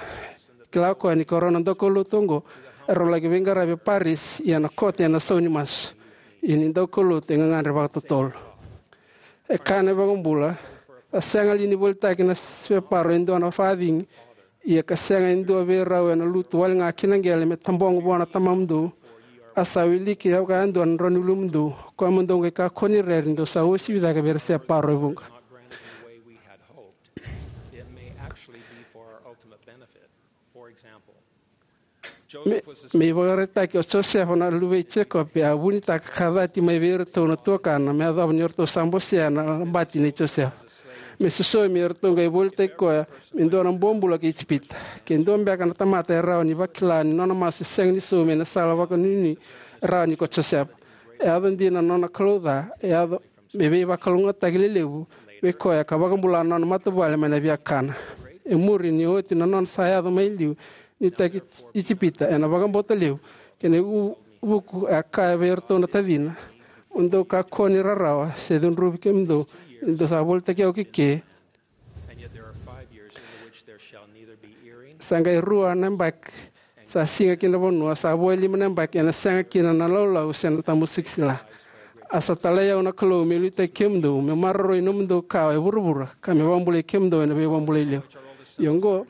Kila o koya ni ko rau na daukaulotu oqo, erau laki veiqaravi e Paris, ia na kote ena sau ni masu. Ia ni daukaulotu e gagadre vakatotolo. E kaya na iVakabula, sa sega li ni volitaki na separo e dua na facigi, ia ka sega e dua vei rau ena lutu wale ga ki na qele me tabogo vua na Tamamudou? A sa wiliki e vaka e dua na drau ni ulumudou, koya mo dou qai kakua ni rere ni dou sa uasivi cake vei ira separo e vuqa. It may actually be for our ultimate benefit. For example, me, me ivakaraitaki, o Josefa na luve i Jekope a vunitaka ka cati mai vei iratou na tuakana me yacova ni ratou sa bosea na labati nei Josefa. Me sosomi, eratou qai volitaki koya me dua na bobula ki Ijipita. Ke dua beka na tamata e rawa ni vakila ni nona masu e sega ni saumi ena sala vakanuinui, e rawa ni ko Josefa. E yaco dina na nona kalouca, e yaco me veivakalougatataki lelevu vei koya ka vakabula na nona matavuvale mai na viakana. E muri, ni oti na nona sa yaco mai liu ni taki Ijipita, ena vakabauta levu kei na ivuku, a kaya vei iratou na tacina, mo dou kakua ni rarawa se cudruvi kemudou, ni dou sa volitaki au ki ke. Sa qai rua na yabaki sa siga ki na vanua, sa vo e lima na yabaki ena sega kina na laulau se na tamusuki sila. A sa talai au na Kalou meu liutaki kemudou, meu maroroi nomudou kawa e vuravura, ka meu vakabulai kemudou ena veivakabulai levu. Ia oqo,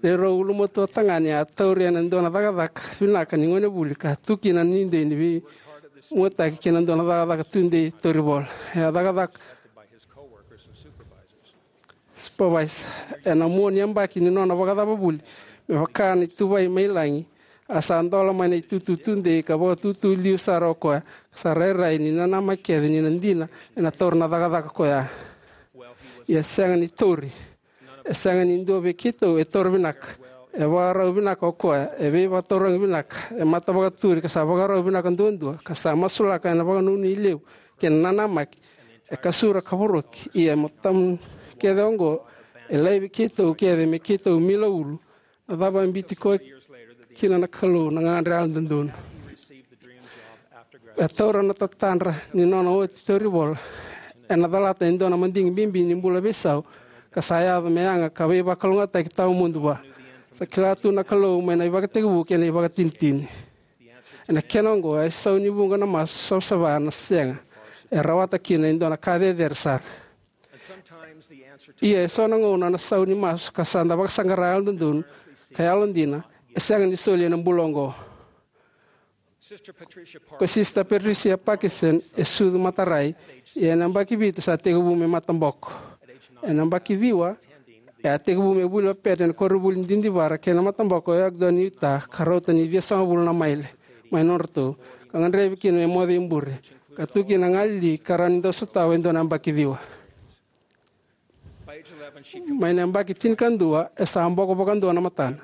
rau ulumatua tagane a tauri ena dua na cakacaka vinaka ni gonevuli ka tu kina na nuidei ni veimuataki kei na dua na cakacaka tudei tauri vola. E a cakacaka supervise ena mua ni yabaki ni nona vakacavavuli me vaka na ituvai mai lagi. A sa dola mai na itutu tudei ka vakatutu liu sara o koya, ka sa rairai ni nanamaki kece ni na dina ena taura na cakacaka koya. Ia sega ni tauri. E sega ni dua vei keitou e taura vinaka. E vakarau vinaka o koya, e veivakatauragi vinaka, e mata vakaturi ka sa vakarau vinaka duadua, ka sa masulaka ena vakanuinui levu kei na nanamaki. E kasura ka voroki, ia e matamu kece oqo, e laivi keitou kece me keitou mila ulu. Na cava e biuti koya kina na Kalou? Na gagadre yalododonu. E taura na tatadra ni nona oti tauri vola. Ena calata e dua na madigi bibi ni bula veisau, ka sa yaco me yaga ka veivakalougatataki tawamudu vua. Sa kila tu na Kalou mai na ivakatekivu kei na ivakatinitini. Ena kena oqo, e sau ni vuqa na masu savasava na sega. E rawata kina e dua na ka cecere sara. Ia e so na gauna na sau ni masu ka sa da vakasaqara yalododonu ka yalodina e sega ni soli ena bula oqo. Ko Sister Patricia Parkinson e sucu matarai, ia ena yabaki vitu sa tekivu me mataboko. Ena yabaki ciwa e a tekivu me vuli o Pat ena koronivuli didivara kei na mataboko e Ogden, Utah, ka rauta ni ciwasagavulu na maile mai nodratou, ka gadrevi kina me moce i bure, ka tu kina na galili ka rawa ni dau sotava e dua na yabaki ciwa. Mai na yabaki tinikadua e sa boko vakadua na matana.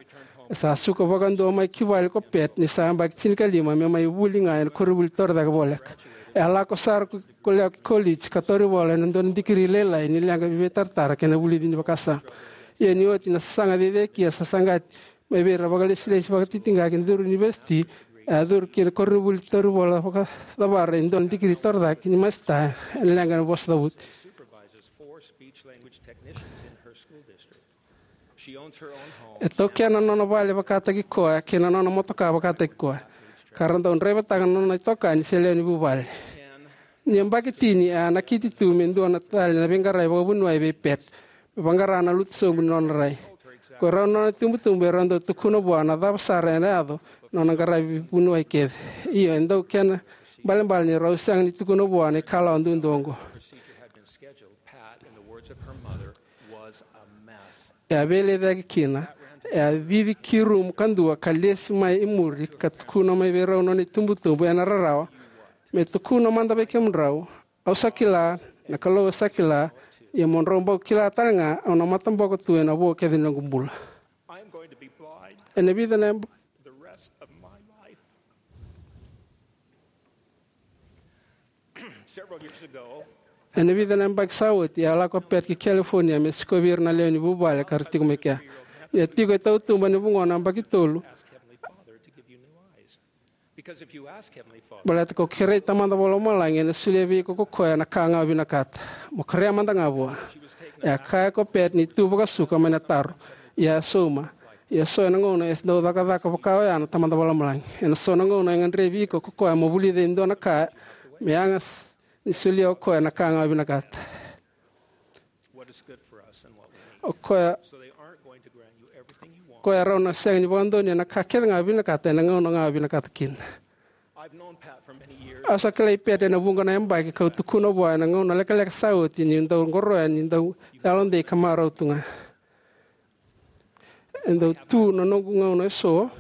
E sa suka vakadua mai ki vale ko Pat ni sa yabaki tinikalima me mai vuli ga ena koronivuli torocake voleka. E a lako sara ko, ko lewa ki koliji ka tauri vola ena dua na dikiri lailai ni leqa veitaratara kei na vulici ni vakasama. Ia ni oti na sasaga cecekia sa saqati mai vei ira vakalesilesi vakatitiqa ki na curu univesiti, e a curu ki na koronivuli tauri vola vakacavara e dua na dikiri torocake ni masita ena leqa ni vosa cavuti. E taukena na nona vale vakataki koya kei na nona motoka vakataki koya, ka ra dau draivataka na nona itokani se lewe ni vuvale. Ni yabaki tini e a nakiti tu me dua na tale na veiqarai vakavuniwai vei Pat, me vaqara na lutu sobu ni nona rai. Ko rau na nona itubutubu e rau dau tukuna vua na cava sara ena yaco na nona qaravi vuniwai kece. Io, e dau kena balebale ni rau sega ni tukuna vua na ikalawa duadua oqo. E a veilecayaki kina, e a cici ki rumu kadua ka lesi mai i muri ka tukuna mai vei rau na nona itubutubu ena rarawa, me tukuna mada vei kemudrau, au sa kila, na Kalou e sa kila, ia mo drau bau kila tale ga au na mataboko tu ena vo kece ni noqu bula. Ena vica na yab- Ena vica na yabaki sa oti, e a lako o Pat ki California me sikovi ira na lewe ni vuvale ka ra tiko mai kea. Ni a tiko e tautuba ena vugona yabaki tolu, baleta ko kerei Tamada Vakalomalagi ena solia vei iko ko koya na ka ga o vinakata. Mo kerea mada ga vua. E a kaya ko Pat ni tu vakasuka mai na taro. Ia e sauma. Ia so ena gauna e dau cakacaka vaka oya na Tamada Vakalomalagi. Ena so na gauna e gadrevi iko ko koya mo vulica e dua na ka me yaga s- ni solia o koya na ka ga o vinakata. O koya, koya rau na sega ni vakadonuya na ka kece ga o vinakata ena gauna ga o vinakata kina. Au sa kilai Pat ena vuqa na yabaki kau tukuna vua ena gauna lekaleka sa oti niu dau qoroya ni dau yalodei ka marau tu ga. E dau tu na noqu gauna eso.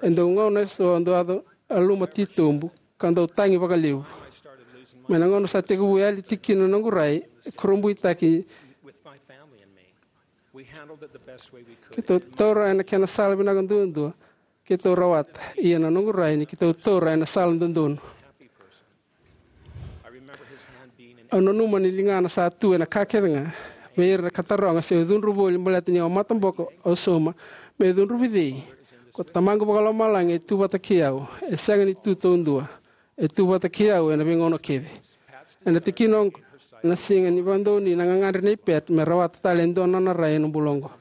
E dau gauna eso au dau yaco yaluma titobu ka dau tagi vakalevu. Mai na gauna sa tekivu yali tiko kina na noqu rai, e kurabuitaki. Keitou taura ena kena sala vinaka duadua keitou rawata, ia na noqu rai ni keitou taura ena sala dodonu. Au nanuma ni ligana sa tu ena ka kece ga vei ira ka taroga se au cudru voli baleta ni au mataboko. Au sauma, me cudru vei cei? Ko Tamaqu Vakalomalagi e tu vata kei au. E sega ni tu taudua. E tu vata kei au ena veigauna kece. Ena tikina oqo, na siga ni vakadonui na gagadre nei Pat me rawata tale e dua na nona rai ena bula oqo.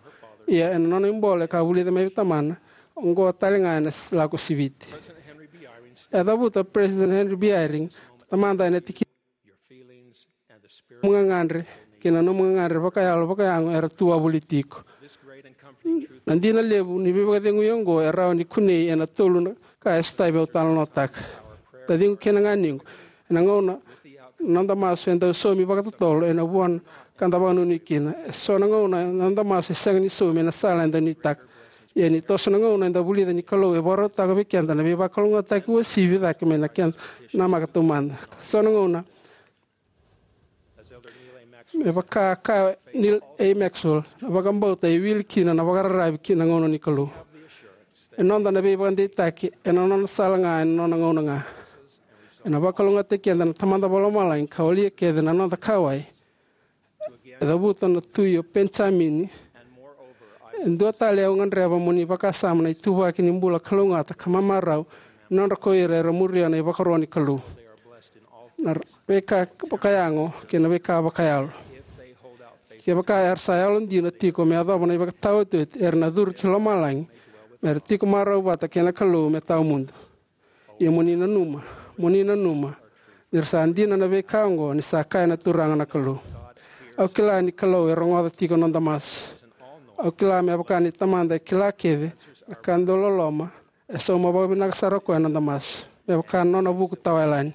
Ia ena nona ibole ka vulica mai vei tamana, oqo tale ga ena lako siviti. E a cavuta o President Henry B. Eyring, tamada, ena tikina, nomu gagadre kei na nomu gagadre vakayalo vakayago era tu wavoliti iko. Na dina levu ni veivakacegui oqo e rawa ni kunei ena tolu na ka e sotavi au talanoataka. Taciqu kei na ganequ, ena gauna na noda masu e dau saumi vakatotolo ena vuana ka da vakanuinui kina. E so na gauna na noda masu e sega ni saumi ena sala eda nuitaka. Ia ni toso na gauna eda vulica ni Kalou e vakarautaka vei keda na veivakalougatataki uasivi cake mai na keda namaka taumada. So na gauna, me vaka a kaya o Neal A. Maxwell, na vakabauta e wili kina na vakararavi ki na gauna ni Kalou. E noda na veivakadeitaki ena nona sala ga ena nona gauna ga. Ena vakalougatataki keda na Tamada Vakalomalagi ka walia kece na noda kauwai. E cavuta na Tui o Penijamini, e dua tale au gadreva mo ni vakasama na ituvaki ni bula kalougata ka mamarau ni nodra ko ira era muria na ivakaro ni Kalou. Na veika vakayago kei na veika vakayalo. Kevaka era sa yalodina tiko me yacova na ivakataotioti, era na curu ki lomalagi mera tiko marau vata kei na Kalou me tawamudu. Ia mo ni nanuma, mo ni nanuma, ni ra sa dina na veika oqo ni sa kaya na Turaga na Kalou. Au kila ni Kalou e rogoca tiko na noda masu. Au kila me vaka ni Tamada e kila kece na ka dau loloma, e sauma vakavinaka sara o koya na noda masu. Me vaka na nona vuku tawayalani.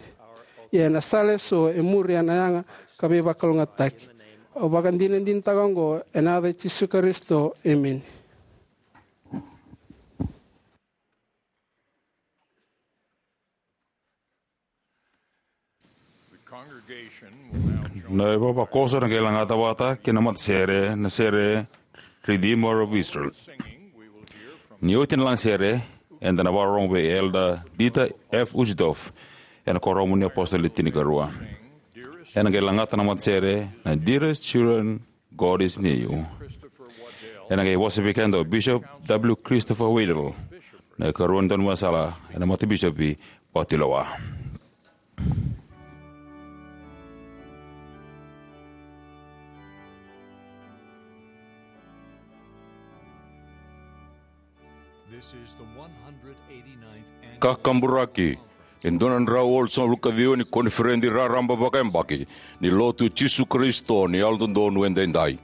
Ia ena sala eso e muria na yaga ka veivakalougatataki. Au vakadinadinataka oqo ena yaca i Jisu Karisito. Emeni. Na ivavakoso na qai lagata vata kei na matasere, na sere Redeemer of Israel. Ni oti na lagasere, eda na vakarorogo vei Elder Dieter F. Uchtdorf ena Kuoramu ni iApositolo Le Tinikarua. Ena qai lagata na matasere na Dearest Children, God Is Near You. Ena qai vosa vei keda o Bishop W. Christopher Waddell, na ikarua ni dauniveisala ena matabisopi vakatulewa. Kakaburaki. E dua na drau walusagavulu ka ciwa ni koniferedi raraba vakayabaki ni Lotu Jisu Karisito ni Yalododonu Edaidai.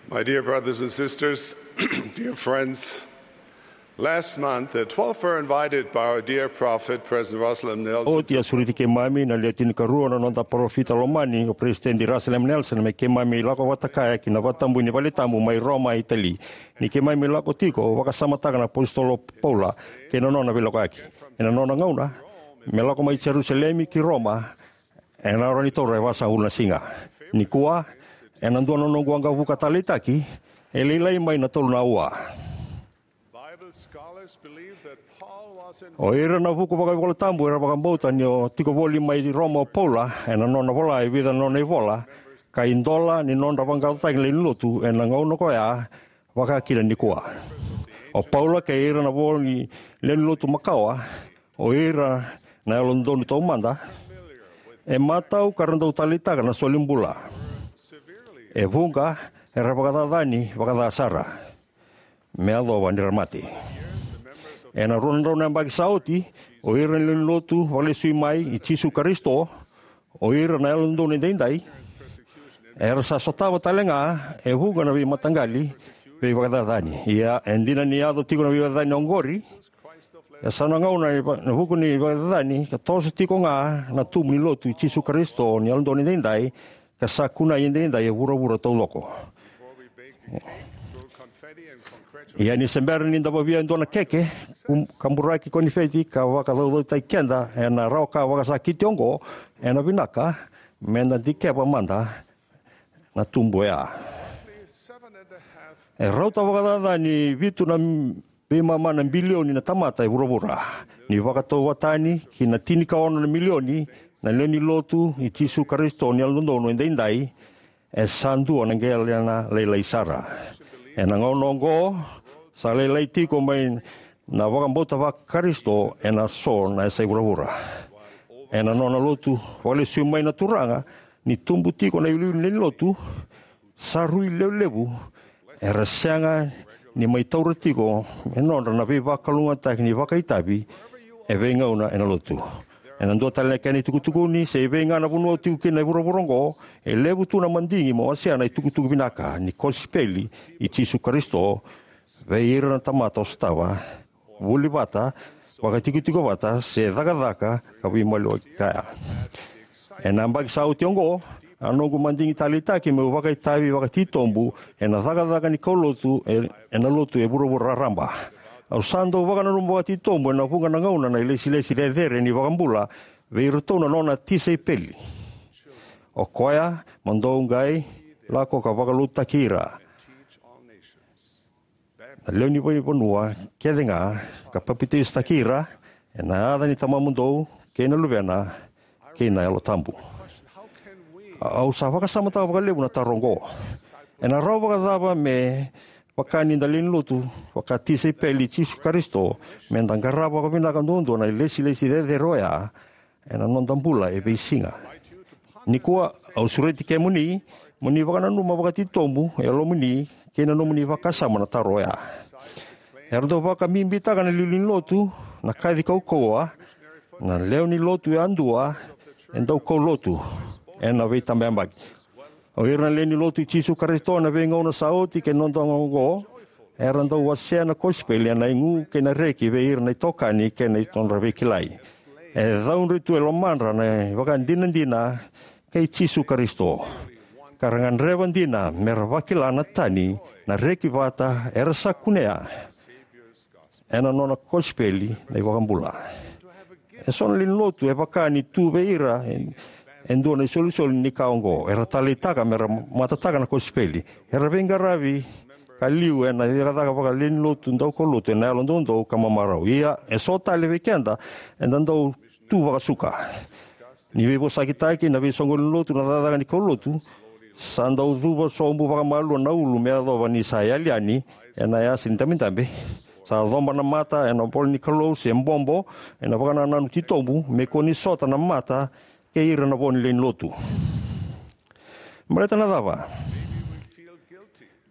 My dear brothers and sisters, dear friends, last month, the twelve were invited by our dear prophet, President Russell M. Nelson. Oti a sureti keimami na lewe tinikarua na noda parofita lomani, o Peresitedi Russell M. Nelson, me keimami lako vata kaya ki na vakatabui ni valetabu mai Roma, Itali. Ni keimami lako tiko, vakasamataka na apositolo Paula kei na nona veilakoyaki. Ena nona gauna me lako mai Jerusalemi ki Roma, ena rawa ni taura e vasagavulu na siga. Nikua, ena dua na noqu waqavuka taleitaki, e lailai mai na tolu na aua. Bible scholars believe that Paul was in O ira na vuku vakaivolatabu era vakabauta ni o tiko voli mai Roma o Paula ena nona vola e vica na nona ivola, ka idola ni nodra vaqaqacotaki na lewe ni lotu ena gauna koya, vaka kina nikua. O Paula kei ira na vo ni lewe ni lotu makawa, o ira na yalododonu taumada, e matau ka ra dau taleitaka na solibula. E vuqa era vakacacani vakaca sara me yacova ni ra mate. Ena rua na drau na yabaki sa oti, o ira na lewe ni lotu vakalesui mai i Jisu Karisito, o ira na yalododonu edaidai, era sa sotava tale ga e vuqa na veimataqali veivakacacani. Ia, e dina ni yaco tiko na veivakacacani oqori, e sa na gauna ena vuku ni vakacacani ka toso tiko ga na tubu ni lotu i Jisu Karisito ni yalododonu edaidai, ka sa kunei edaidai e vuravura taucoko. Ia, ni se bera ni da vavia e dua na keke, kum-, kaburaki konifeti ka vakacaucautaki keda ena rawa ka vakasakiti oqo, ena vinaka me da dikeva mada na tubu oya. E rauta vakacaca ni vitu na m-, veimama na bilioni na tamata e vuravura. Ni vakatauvatani ki na tinikaono na milioni na lewe ni lotu i Jisu Karisito ni yalododonu edaidai, e sa dua na qele lailai sara. Ena gauna oqo, sa lailai tiko mai na vakabauta vaKarisito ena so na yasai vuravura. Ena nona lotu vakalesui mai na Turaga, ni tubu tiko na iuliuli ni lotu, sa rui levu levu era sega ni mai taura tiko e nodra na veivakalougatataki ni vakaitavi e veigauna ena lotu. Ena dua tale na kena itukutukuni, se evei ga na vanua o tiko kina e vuravura oqo, e levu tu na madigi mo wasea na itukutuku vinaka ni kosipeli i Jisu Karisito vei ira na tamata o sotava, vuli vata, vakatikotiko vata, se cakacaka ka veimaliwai kaya. Ena yabaki sa oti oqo, a noqu madigi taleitaki meu vakaitavi vakatitobu ena cakacaka ni kaulotu e, ena lotu e vuravura raraba. Au sa dau vakananuma vakatitobu ena vuqa na gauna na ilesilesi cecere ni iVakabula vei iratou na nona tisaipeli. O koya mo dou qai lako ka vakalotutaki ira na lewe ni veivanua kece ga, ka papitaisotaki ira ena yaca ni Tamamudou kei na Luvena kei na Yalo Tabu. Au sa vakasamataka vakalevu na taro oqo. Ena rawa vakacava me vaka ni da lewe ni lotu vakatisaipeli i Jisu Karisito me da qarava vakavinaka duadua na ilesilesi cecere oya ena noda bula e veisiga? Nikua, au sureti kemuni mo ni vakananuma vakatitobu e yalomuni kei na nomuni vakasama na taro oya. Era dau vakabibitaka na iliuliu ni lotu, na kaci kaukauwa, na lewe ni lotu yadua, e dau kaulotu ena veitabayabaki. O ira na lewe ni lotu i Jisu Karisito ena veigauna sa oti kei na noda gauna oqo, era dau wasea na kosipeli ena igu kei na reki vei ira na itokani kei na nodra veikilai. E caudre tu e lomadra na ivakadinadina kei Jisu Karisito, ka ra gadreva dina me ra vakila na tani, na reki vata era sa kunea ena nona kosipeli na iVakabula. Eso na lewe ni lotu e vaka ni tu vei ira e, e dua na isolisoli ni ka oqo. Era taleitaka me ra matataka na kosipeli. Era veiqaravi ka liu ena cakacaka vakalewe ni lotu daukaulotu ena yalo doudou ka mamarau. Ia, eso tale vei keda eda dau tu vakasuka. Ni veivosakitaki na veisoqoni lotu na cakacaka ni kaulotu, sa dau cuva sobu vakamalua na ulu me yacova ni sa yali yani ena yasa ni dabedabe. Sa coba na mata ena ivola ni Kalou se bobo ena vakanananu titobu me kua ni sota na mata kei ira na vo ni lewe ni lotu. Baleta na cava?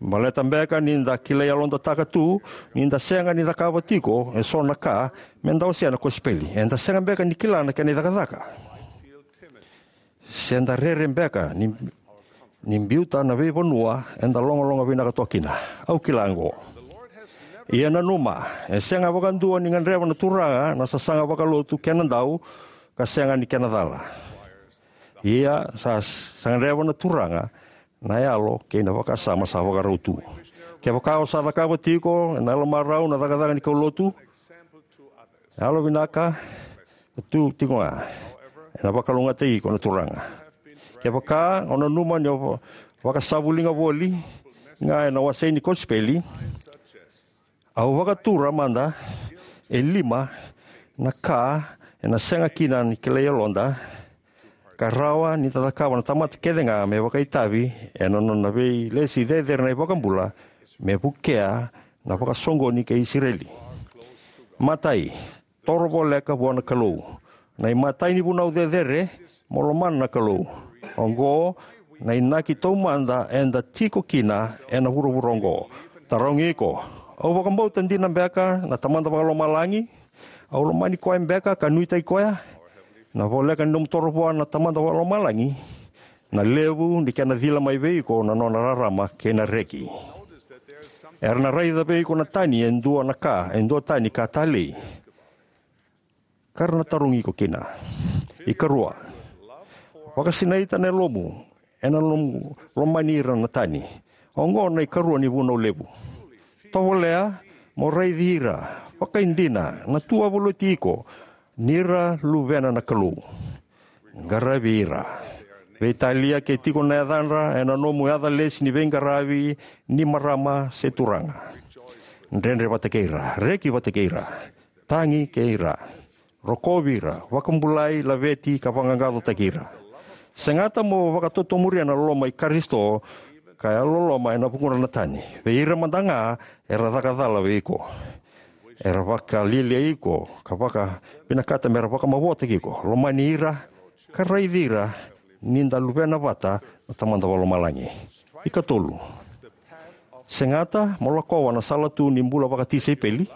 Baleta beka ni da kilai yalodataka tu ni da sega ni cakava tiko eso na ka me da wasea na kosipeli. Eda sega beka ni kila na kena icakacaka? Se da rere beka ni, ni biuta na veivanua eda logaloga vinaka toka kina? Au kila oqo. Ia nanuma, e sega vakadua ni gadreva na Turaga na sasaga vakalotu kena dau ka sega ni kena cala. Ia sa, sa gadreva na Turaga na yalo kei na vakasama sa vakarau tu. Kevaka o sa cakava tiko ena yalo marau na cakacaka ni kaulotu, yalovinaka, tu tiko ga, ena vakalougatataki iko na Turaga. Kevaka o nanuma ni o va-, vakasavuliga voli ga ena wasei ni kosipeli, au vakatura mada e lima na ka ena sega kina ni kilai yaloda, ka rawa ni da cakava na tamata kece ga me vakaitavi ena nona veilesi cecere na iVakabula me vukea na vakasoqoni kei Isireli. Matai, toro voleka vua na Kalou. Na imatai ni vunau cecere, mo lomana na Kalou. Oqo na inaki taumada eda tiko kina ena vuravura oqo. Tarogi iko: Au vakabauta dina beka na Tamada Vakalomalagi? Au lomani koya beka ka nuitaki koya? Na voleka ni nomu toro vua na Tamada Vakalomalagi, na levu ni kena cila mai vei iko na nona rarama kei na reki. Era na raica vei iko na tani e dua na ka, e dua tani ka talei, ka ra na tarogi iko kina. Ikarua, vakasinaita na yalomu ena nomu lomani ira na tani. Oqo na ikarua ni vunau levu. Tovolea mo raici ira vakaidina na tu wavoliti iko, ni ra luvena na Kalou. Qaravi ira. Veitalia ke tiko na yacadra ena nomu yaca lesi ni veiqaravi ni marama se turaga. Dredre vata kei ira. Reki vata kei ira. Tagi kei ira. Rokovi ira. Vakabulai, laveti, ka vaqaqacotaki ira. Segata mo vakatotomuria na loloma i Karisito ka yalololoma ena vukuda na tani, vei ira mada ga era caka cala vei iko, era vakalialiai iko, ka vakavinakata mera vakamavoataki iko. Lomani ira, ka raici ira ni da luvena vata na Tamada Vakalomalagi. Ikatolu, segata mo lakova na sala tu ni bula vakatisaipeli.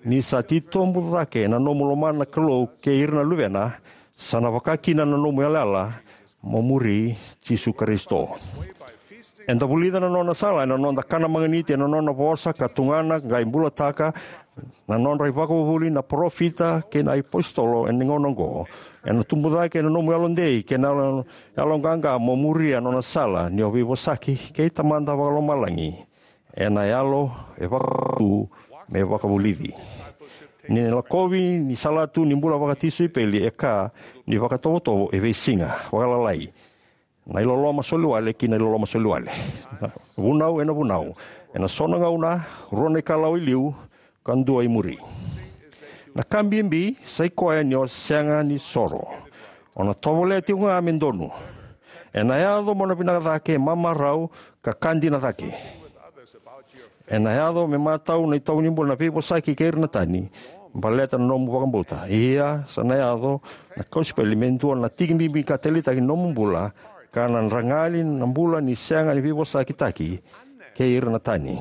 Ni sa titobu cake na nomu lomana na Kalou kei ira na luvena, sa na vaka kina na nomu yalayala mo muri Jisu Karisito. Eda vulica na nona sala ena noda kana maganiti ena nona vosa ka tugana qai bulataka na nodra ivakavuvuli na parofita kei na iapositolo ena gauna oqo. Ena tubu cake na nomu yalodei kei na yalo, yaloqaqa mo muria na nona sala ni o veivosaki kei Tamada Vakalomalagi ena yalo e vakatu me vakavulici. Ni lakovi ni sala tu ni bula vakatisaipeli e ka ni vakatovotovo e veisiga, vakalalai, na iloloma soliwale ki na iloloma soliwale, na vunau ena vunau, ena so na gauna rua na ikalawa i liu ka dua i muri. Na ka bibi sa i koya ni o sega ni soro. O na tovolea tiko ga me donu. Ena yaco mo na vinaka cake, mamarau, ka ka dina cake. Ena yaco me matau na itovo ni bula na veivosaki kei ira na tani baleta na nomu vakabauta. Ia sa na yaco na kosipeli me dua na tiki bibi ka taleitaki ni nomu bula, ka na dragali na bula ni sega ni veivosakitaki kei ira na tani.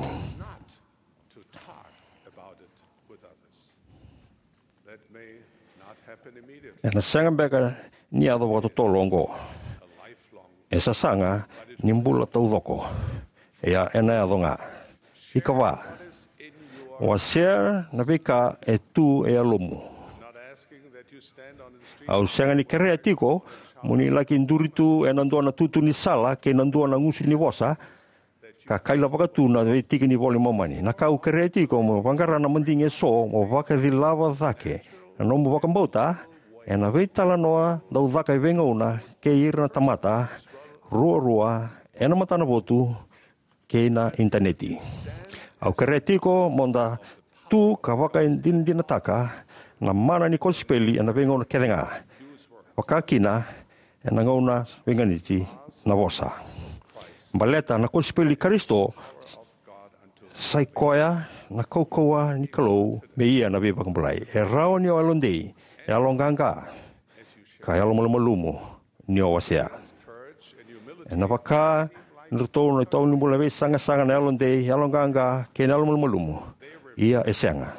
Ena sega beka ni yaco vakatotolo oqo. E sasaga ni bula taucoko. Ia ena yaco ga. Ikava, wasea na veika e tu e yalomu. Au sega ni kerea tiko mo ni laki duri tu ena dua na tutu ni sala kei na dua na gusu ni vosa ka kailavaka tu na veitiki ni Vola i Momani. Na ka au kerea tiko mo vaqara na madigi eso mo vakacilava cake na nomu vakabauta ena veitalanoa dau caka e veigauna kei ira na tamata ruarua ena matanavotu kei na initaneti. Au kerea tiko mo da tu ka vakadinadinataka na mana ni kosipeli ena veigauna kece ga, vaka kina ena gauna veiganiti na vosa. Baleta na kosipeli i Karisito sa i koya na kaukauwa ni Kalou me ia na veivakabulai. E rawa ni o yalodei, yaloqaqa, ka yalomalumalumu ni o wasea. Ena vaka ni ratou na itovo ni bula na veisaqasaqa, na yalodei, yaloqaqa kei na yalomalumalumu. Ia e sega.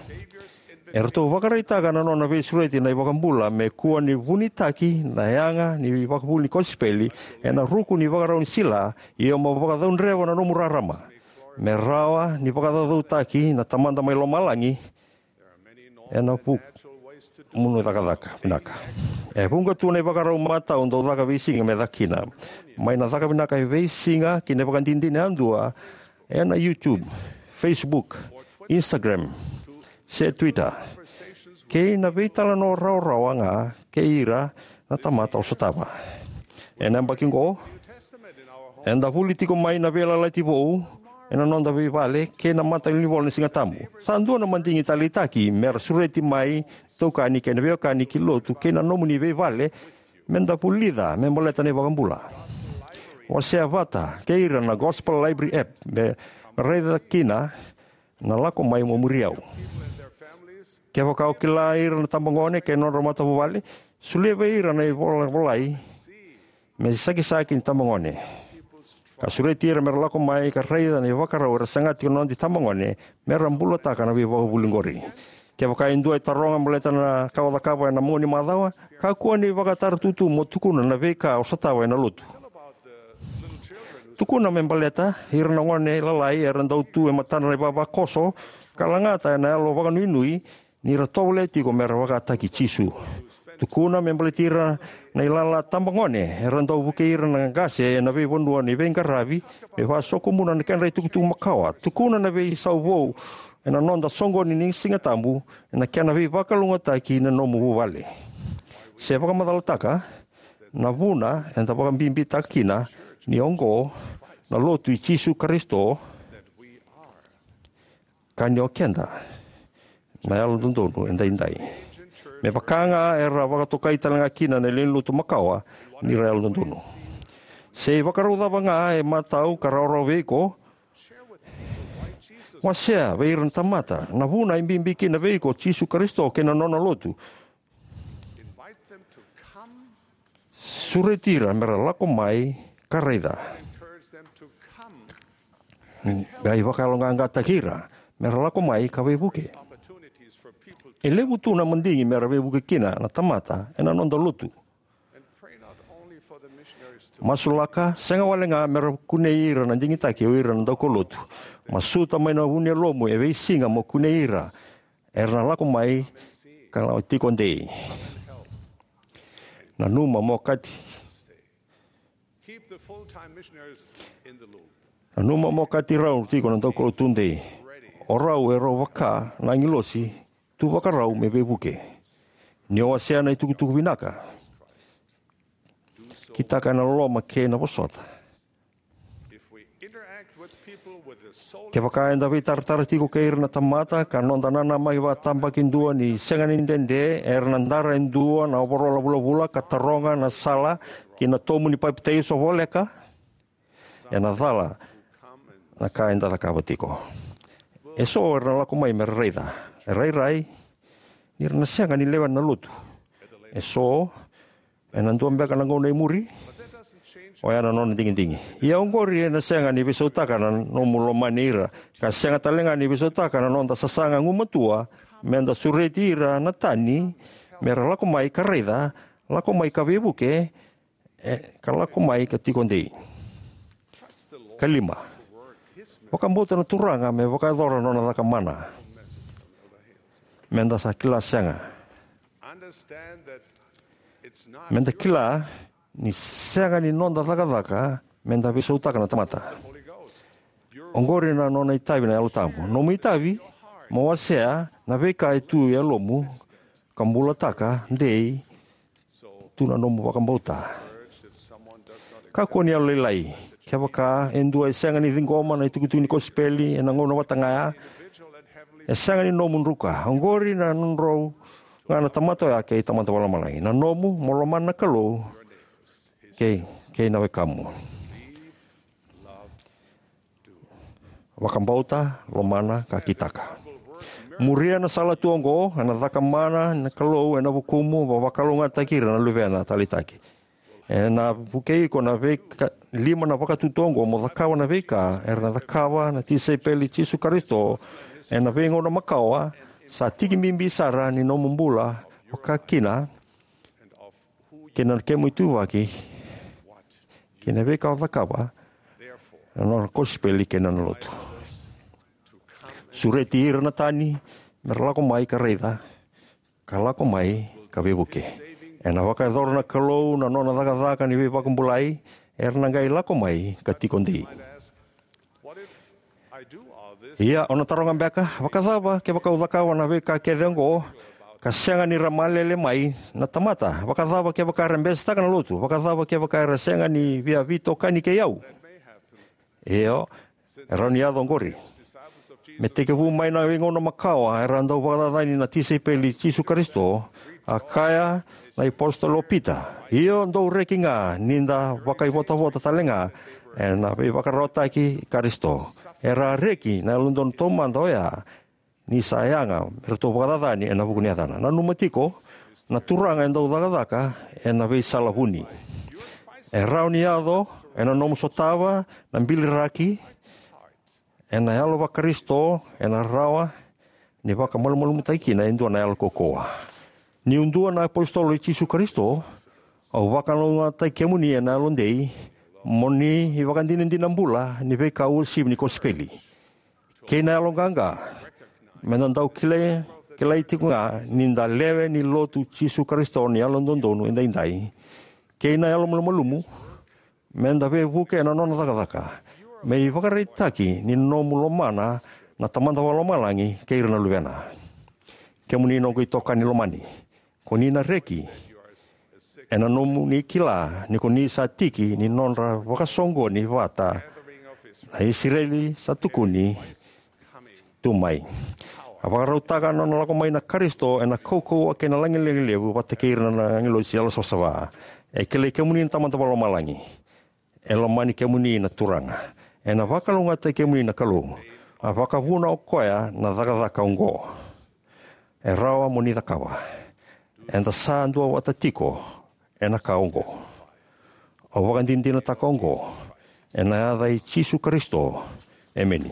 E ratou vakaraitaka na nona veisureti na iVakabula me kua ni vunitaki na yaga ni ivakavuvuli ni kosipeli ena ruku ni ivakarau ni sila, ia mo vakacaudreva na nomu rarama me rawa ni vakacaucautaki na Tamada mai lomalagi ena vuku ni nomu cakacaka vinaka. E vuqa tu na ivakarau matau dau caka veisiga me caka kina, mai na caka vinaka e veisiga ki na ivakadinadina yadua ena YouTube, Facebook, Instagram, se Twitter, kei na veitalanoa rawarawa ga kei ira na tamata o sotava. Ena yabaki oqo, eda vuli tiko mai na Veiyalayalati Vou ena noda veivale kei na matanivola ni Siga Tabu. Sa dua na madigi taleitaki mera sureti mai na itokani kei na veiwekani ki lotu kei na nomuni veivale me da vulica me baleta na iVakabula. Wasea vata kei ira na Gospel Library app me raica kina Na lako mai mo muri au. Kevaka o kila ira na tabagone kei na nodra matavuvale, solia vei ira na ivolavolai me sakisaki ni tabagone, ka sureti ira me ra lako mai ka raica na ivakarau era saga tiko na noda itabagone me ra bulataka na veivakavuvuli oqori. Kevaka e dua e taroga baleta na ka o cakava ena mua ni macawa, kakua ni vakataratutu mo tukuna na veika o sotava ena lotu. Tukuna me baleta ira na gone lalai era dau tu e matadra na ivavakoso ka lagata ena yalo vakanuinui ni ra tovolea tiko me ra vakataki Jisu. Tukuna me baleti ira na ilala tabagone era dau vukei ira na qase ena veivanua ni veiqaravi me vakasokomuna na kedra itukutuku makawa. Tukuna na veisau vou ena noda soqoni ni Siga Tabu ena kena veivakalougatataki na nomu vuvale. Se vakamacalataka na vuna eda vakabibitaka kina ni oqo na Lotu i Jisu Karisito, ka ni o keda na Yalododonu Edaidai, me vaka ga era vakatokai tale ga kina na lewe ni lotu makawa ni ra yalododonu. Se ivakarau cava ga e matau ka rawarawa vei iko, wasea vei ira na tamata na vuna e bibi kina vei iko o Jisu Karisito kei na nona Lotu. Sureti ira me ra lako mai ka raica. Qai vakayaloqaqataki ira me ra lako mai ka veivuke. E levu tu na madigi me ra veivuke kina na tamata ena noda lotu. Masulaka, sega wale ga me ra kunei ira na digitaki o ira na daukaulotu. Masuta mai na vu ni yalomu e veisiga mo kunei ira era na lako mai ka na tiko dei. Nanuma mo kati. Nanuma mo kati rau tiko na daukaulotu dei. O rau e rau vaka na agilosi tu vakarau me veivuke. Ni o wasea na itukutuku vinaka, kitaka ena loloma kei na vosota. Kevaka eda veitaratara tiko kei ira na tamata ka noda nanamaki vakatabakidua ni sega ni dede era na dara e dua na ovarola vulavula ka taroga na sala ki na tomu ni papitaiso voleka, ena cala na ka eda cakava tiko. E so era na lako mai me ra raica. E rairai ni ra na sega ni lewena na lotu. E so ena dua beka na gauna e muri. Oya na nona digidigi. Ia oqori ena sega ni veisautaka na nomu lomani ira, ka sega tale ga ni veisautaka na noda sasaga gumatua me da sureti ira na tani me ra lako mai ka raica, lako mai ka veivuke, e, ka lako mai ka tiko dei. Ka lima, vakabauta na Turaga me vakayacora na nona caka mana. Me da sa kila sega. Me da kila ni sega ni noda cakacaka me da veisautaka na tamata. Oqori na nona itavi na Yalo Tabu. Nomu itavi mo wasea na veika e tu e yalomu ka bulataka dei tu na nomu vakabauta. Kakua ni yalolailai. Kevaka e dua e sega ni ciqoma na itukutuku ni kosipeli ena gauna vata ga ya, e sega ni nomu druka. Oqori na nodrau ga na tamata oya kei tamata vakalomalagi. Na nomu mo lomana na Kalou kei, kei na wekamu. Vakabauta, lomana, ka kitaka. Muria na sala tu oqo, ena caka mana na Kalou ena vukumu, va-, vakalougatataki ira na luvena taleitaki. Ena vukei iko na veika, lima na vakatutu oqo mo cakava na veika era na cakava na tisaipeli i Jisu Karisito ena veigauna makawa, sa tiki bibi sara ni nomu bula, vaka kina kei na kemu ituvaki kei na veika o cakava na nona kosipeli kei na nona lotu. Sureti ira na tani me ra lako mai ka raica, ka lako mai ka veivuke. Ena vakayacora na Kalou na nona cakacaka ni veivakabulai, era na qai lako mai ka tiko dei. Ia, o na taroga beka, vakacava kevaka au cakava na veika kece oqo ka sega ni ra malele mai na tamata? Vakacava kevaka era besetaka na lotu? Vakacava kevaka era sega ni via veitokani kei au? Io, e rawa ni yaco oqori. Me tekivu mai na veigauna makawa era dau vakacacani na tisaipeli i Jisu Karisito, a kaya na iApositolo o Pita, io, dou reki ga ni da vakaivotavota tale ga, ena veivakararawataki Karisito. Era a reki na Yalododonu taumada oya ni sa yaga me ratou vakacacani ena vuku ni yacana. Nanuma tiko, na Turaga e dau cakacaka ena veisala vuni. E rawa ni yaco ena nomu sotava na biliraki ena yalo vaKarisito, ena rawa ni vakamalumalumutaki kina e dua na yalo kaukauwa. Niu dua na iApositolo i Jisu Karisito, au vakalougatataki kemuni ena yalodei mo ni ivakadinadina bula ni veika uasivi ni kosipeli kei na yaloqaqa. Meda dau kilai, kilai tiko ga ni da lewe ni Lotu i Jisu Karisito ni Yalododonu Edaidai kei na yalomalumalumu. Meda veivuke ena nona cakacaka me ivakaraitaki ni nomu lomana na Tamada Vakalomalagi kei ira na Luvena. Kemuni noqu itokani lomani, ko ni na reki ena nomuni kila ni ko ni sa tiki ni nodra vakasoqoni vata na Isireli sa tukuni tu mai. A vakarautaka na nona lako mai na Karisito ena kaukauwa kei na lagilagi levu vata kei ira na agilosi yalosavasava. E kilai kemuni na Tamada Vakalomalagi. E lomani kemuni na Turaga. Ena vakalougatataki kemuni na Kalou. A vakavuna o koya na cakacaka oqo. E rawa mo ni cakava. Eda sa duavata tiko ena ka oqo. Au vakadinadinataka oqo ena yaca i Jisu Karisito. Emeni.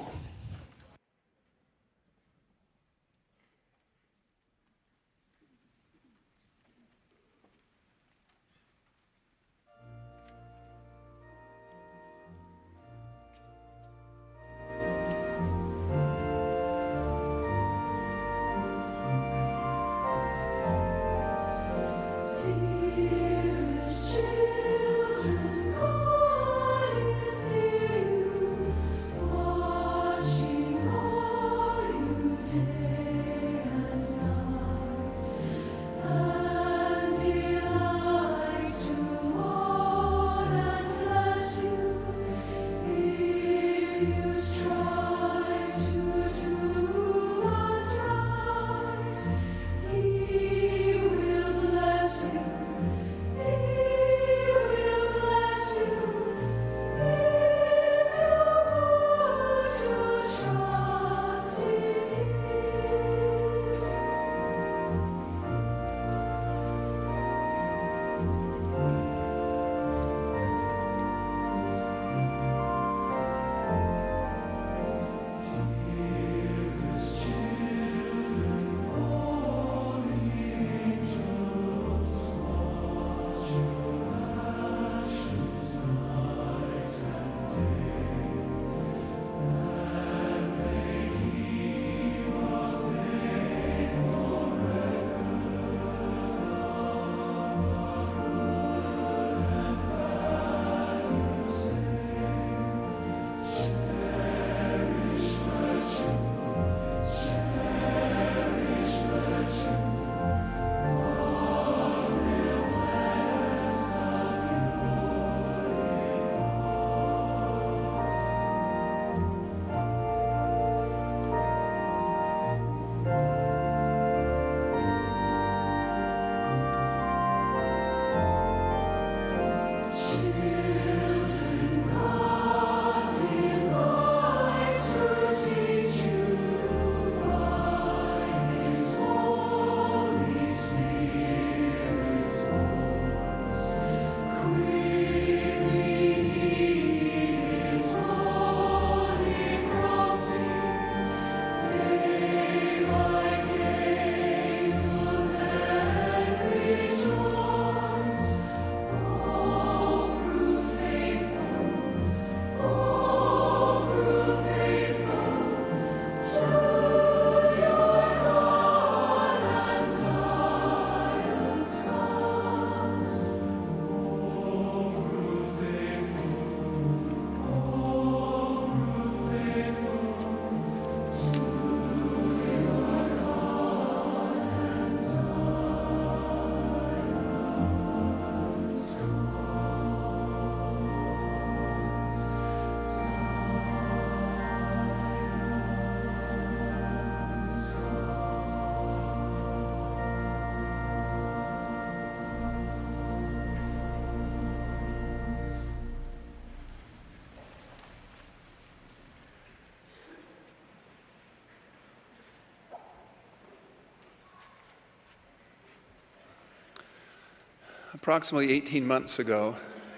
Approximately eighteen months ago,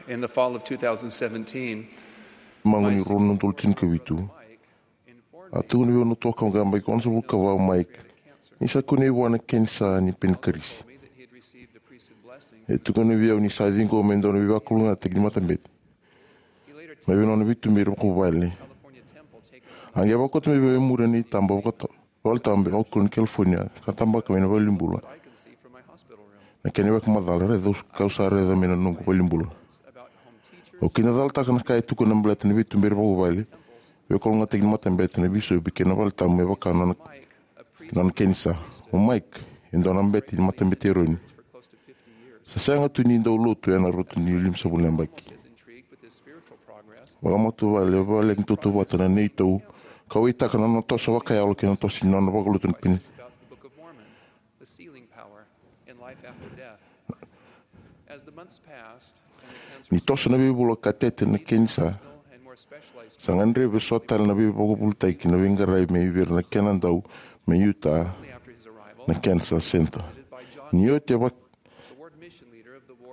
in the fall of two thousand seventeen, mago ni rua na udolu tinikavitu, a tukuna vei au na tuakau ga mai kono sa vuka vau, Mike, ni sa kunei vua na kenisa ni penikarisi. E tukuna vei au ni sa ciqoma e dua na veivakalougatataki ni matabete mai vei nona veituberi vakavuvale. A qai vakauta mai vei au e muri na itaba vakata- valetabu e Oakland, California, ka tabaka mai na valenibula. Na kena ivakamacala, raica au sa raica mai na noqu valenibula. Au kina calataka na ka e tukuna na baleta na veituberi vakavuvale, veivakalougatataki ni matabete, na bisopi kei na valetabu me vaka nona, nona kenisa. O Mike e dua na bete ni matabete Eroni. Sa sega tu ni dau lotu ena rauta ni limasagavulu na yabaki. Vakamatavuvale, e vale ni tautauvata na neitou kauwaitaka na nona toso vakayalo kei na toso ni nona vakalotu na peni. Ni toso na veivula ka tete na kenisa, sa gadrevi so tale na veivakavulitaki na veiqaravi mai vei ira na kena dau mai Utah na Cancer Center. Ni oti e vak-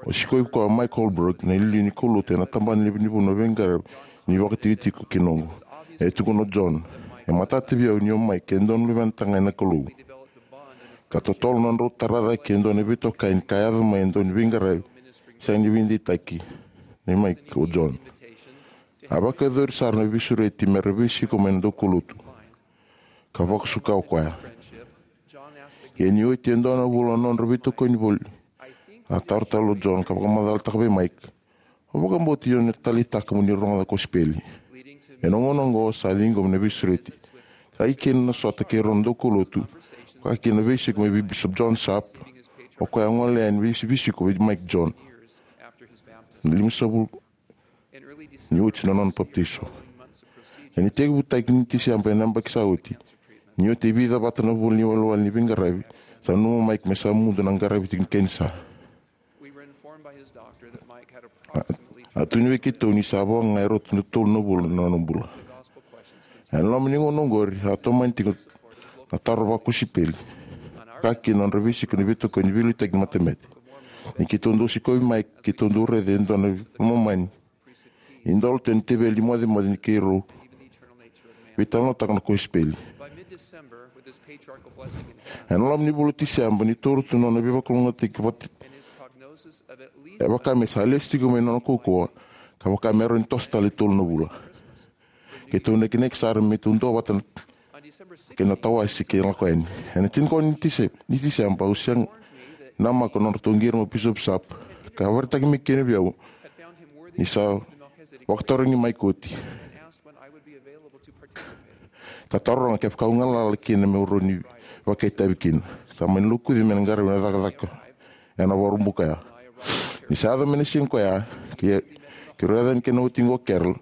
O sikovi koya o Mike Holbrook, na iliuliu ni kaulotu ena tabana ni vunivola na veiqaravi ni vakatikotiko kei noqu. E tukuna o John, e matata vei au ni o Mike e dua na luvena tagane na Kalou. Ka totolo na nodrau tara cake e dua na veitokani ka yaco mai e dua na veiqaravi sega ni veideitaki nei Mike o John. A vakayacori sara na veisureti me ra veisiko mai na daukaulotu ka vakasuka o koya. Ia ni oti e dua na vula na nodra veitokoni voli, a taro tale o John ka vakamacalataka vei Mike, "O vakabauti o ni taleitaka mo ni rogoca na kosipeli?" Ena gauna oqo sa ciqoma na veisureti ka i kina na sota kei rau na daukaulotu, ka kina na veisiko mai vei Bishop John Sharp, o koya a gole yani vei- veisiko vei Mike John. Na limasagavulu ni oti na nona papitaiso. Ena itekivutaki ni Tiseba ena yabaki sa oti, ni oti e vica vata na vula ni walewale ni veiqaravi, sa nanuma o Mike me sa mudu na qaravi tiko ni kenisa. A, a tukuni vei keitou ni sa vo ga e rauta ni tolu na vula na nona bula. Ena loma ni gauna oqori, a tomani tiko na taro vakosipeli, ka kina na nodra veisiko na veitokoni veiliutaki ni matabete. Ni keitou dau sikovi Mike, keitou dau raica e dua na veimama ni dolato ena teveli ni mocemoce ni keirau veitalanoataka na kosipeli. Ena loma ni vula o Tiseba, ni toro tu na nona veivakalougatataki vata, e vaka me sa lesu tiko mai na nona kaukauwa, ka vaka me rawa ni toso tale e tolu na vula. Keitou nakinaki sara me tou duavata na kei na tawase kei na lako yani. Ena tinikaono ni Tise-, ni Tiseba, au sega ni namaka na nodratou qiri mai o Bishop Sharp, ka vakaraitaka mai kina vei au ni sa vakatarogi Mike oti, ka taroga kevaka au galala kina meu rawa ni vakaitavi kina. Sa mani lokuci me na qaravi na cakacaka ena Vakaraubuka ya. Ni sa yaco mai na siga koya, kei, keirau yaco yani kei na watiqu o Carol,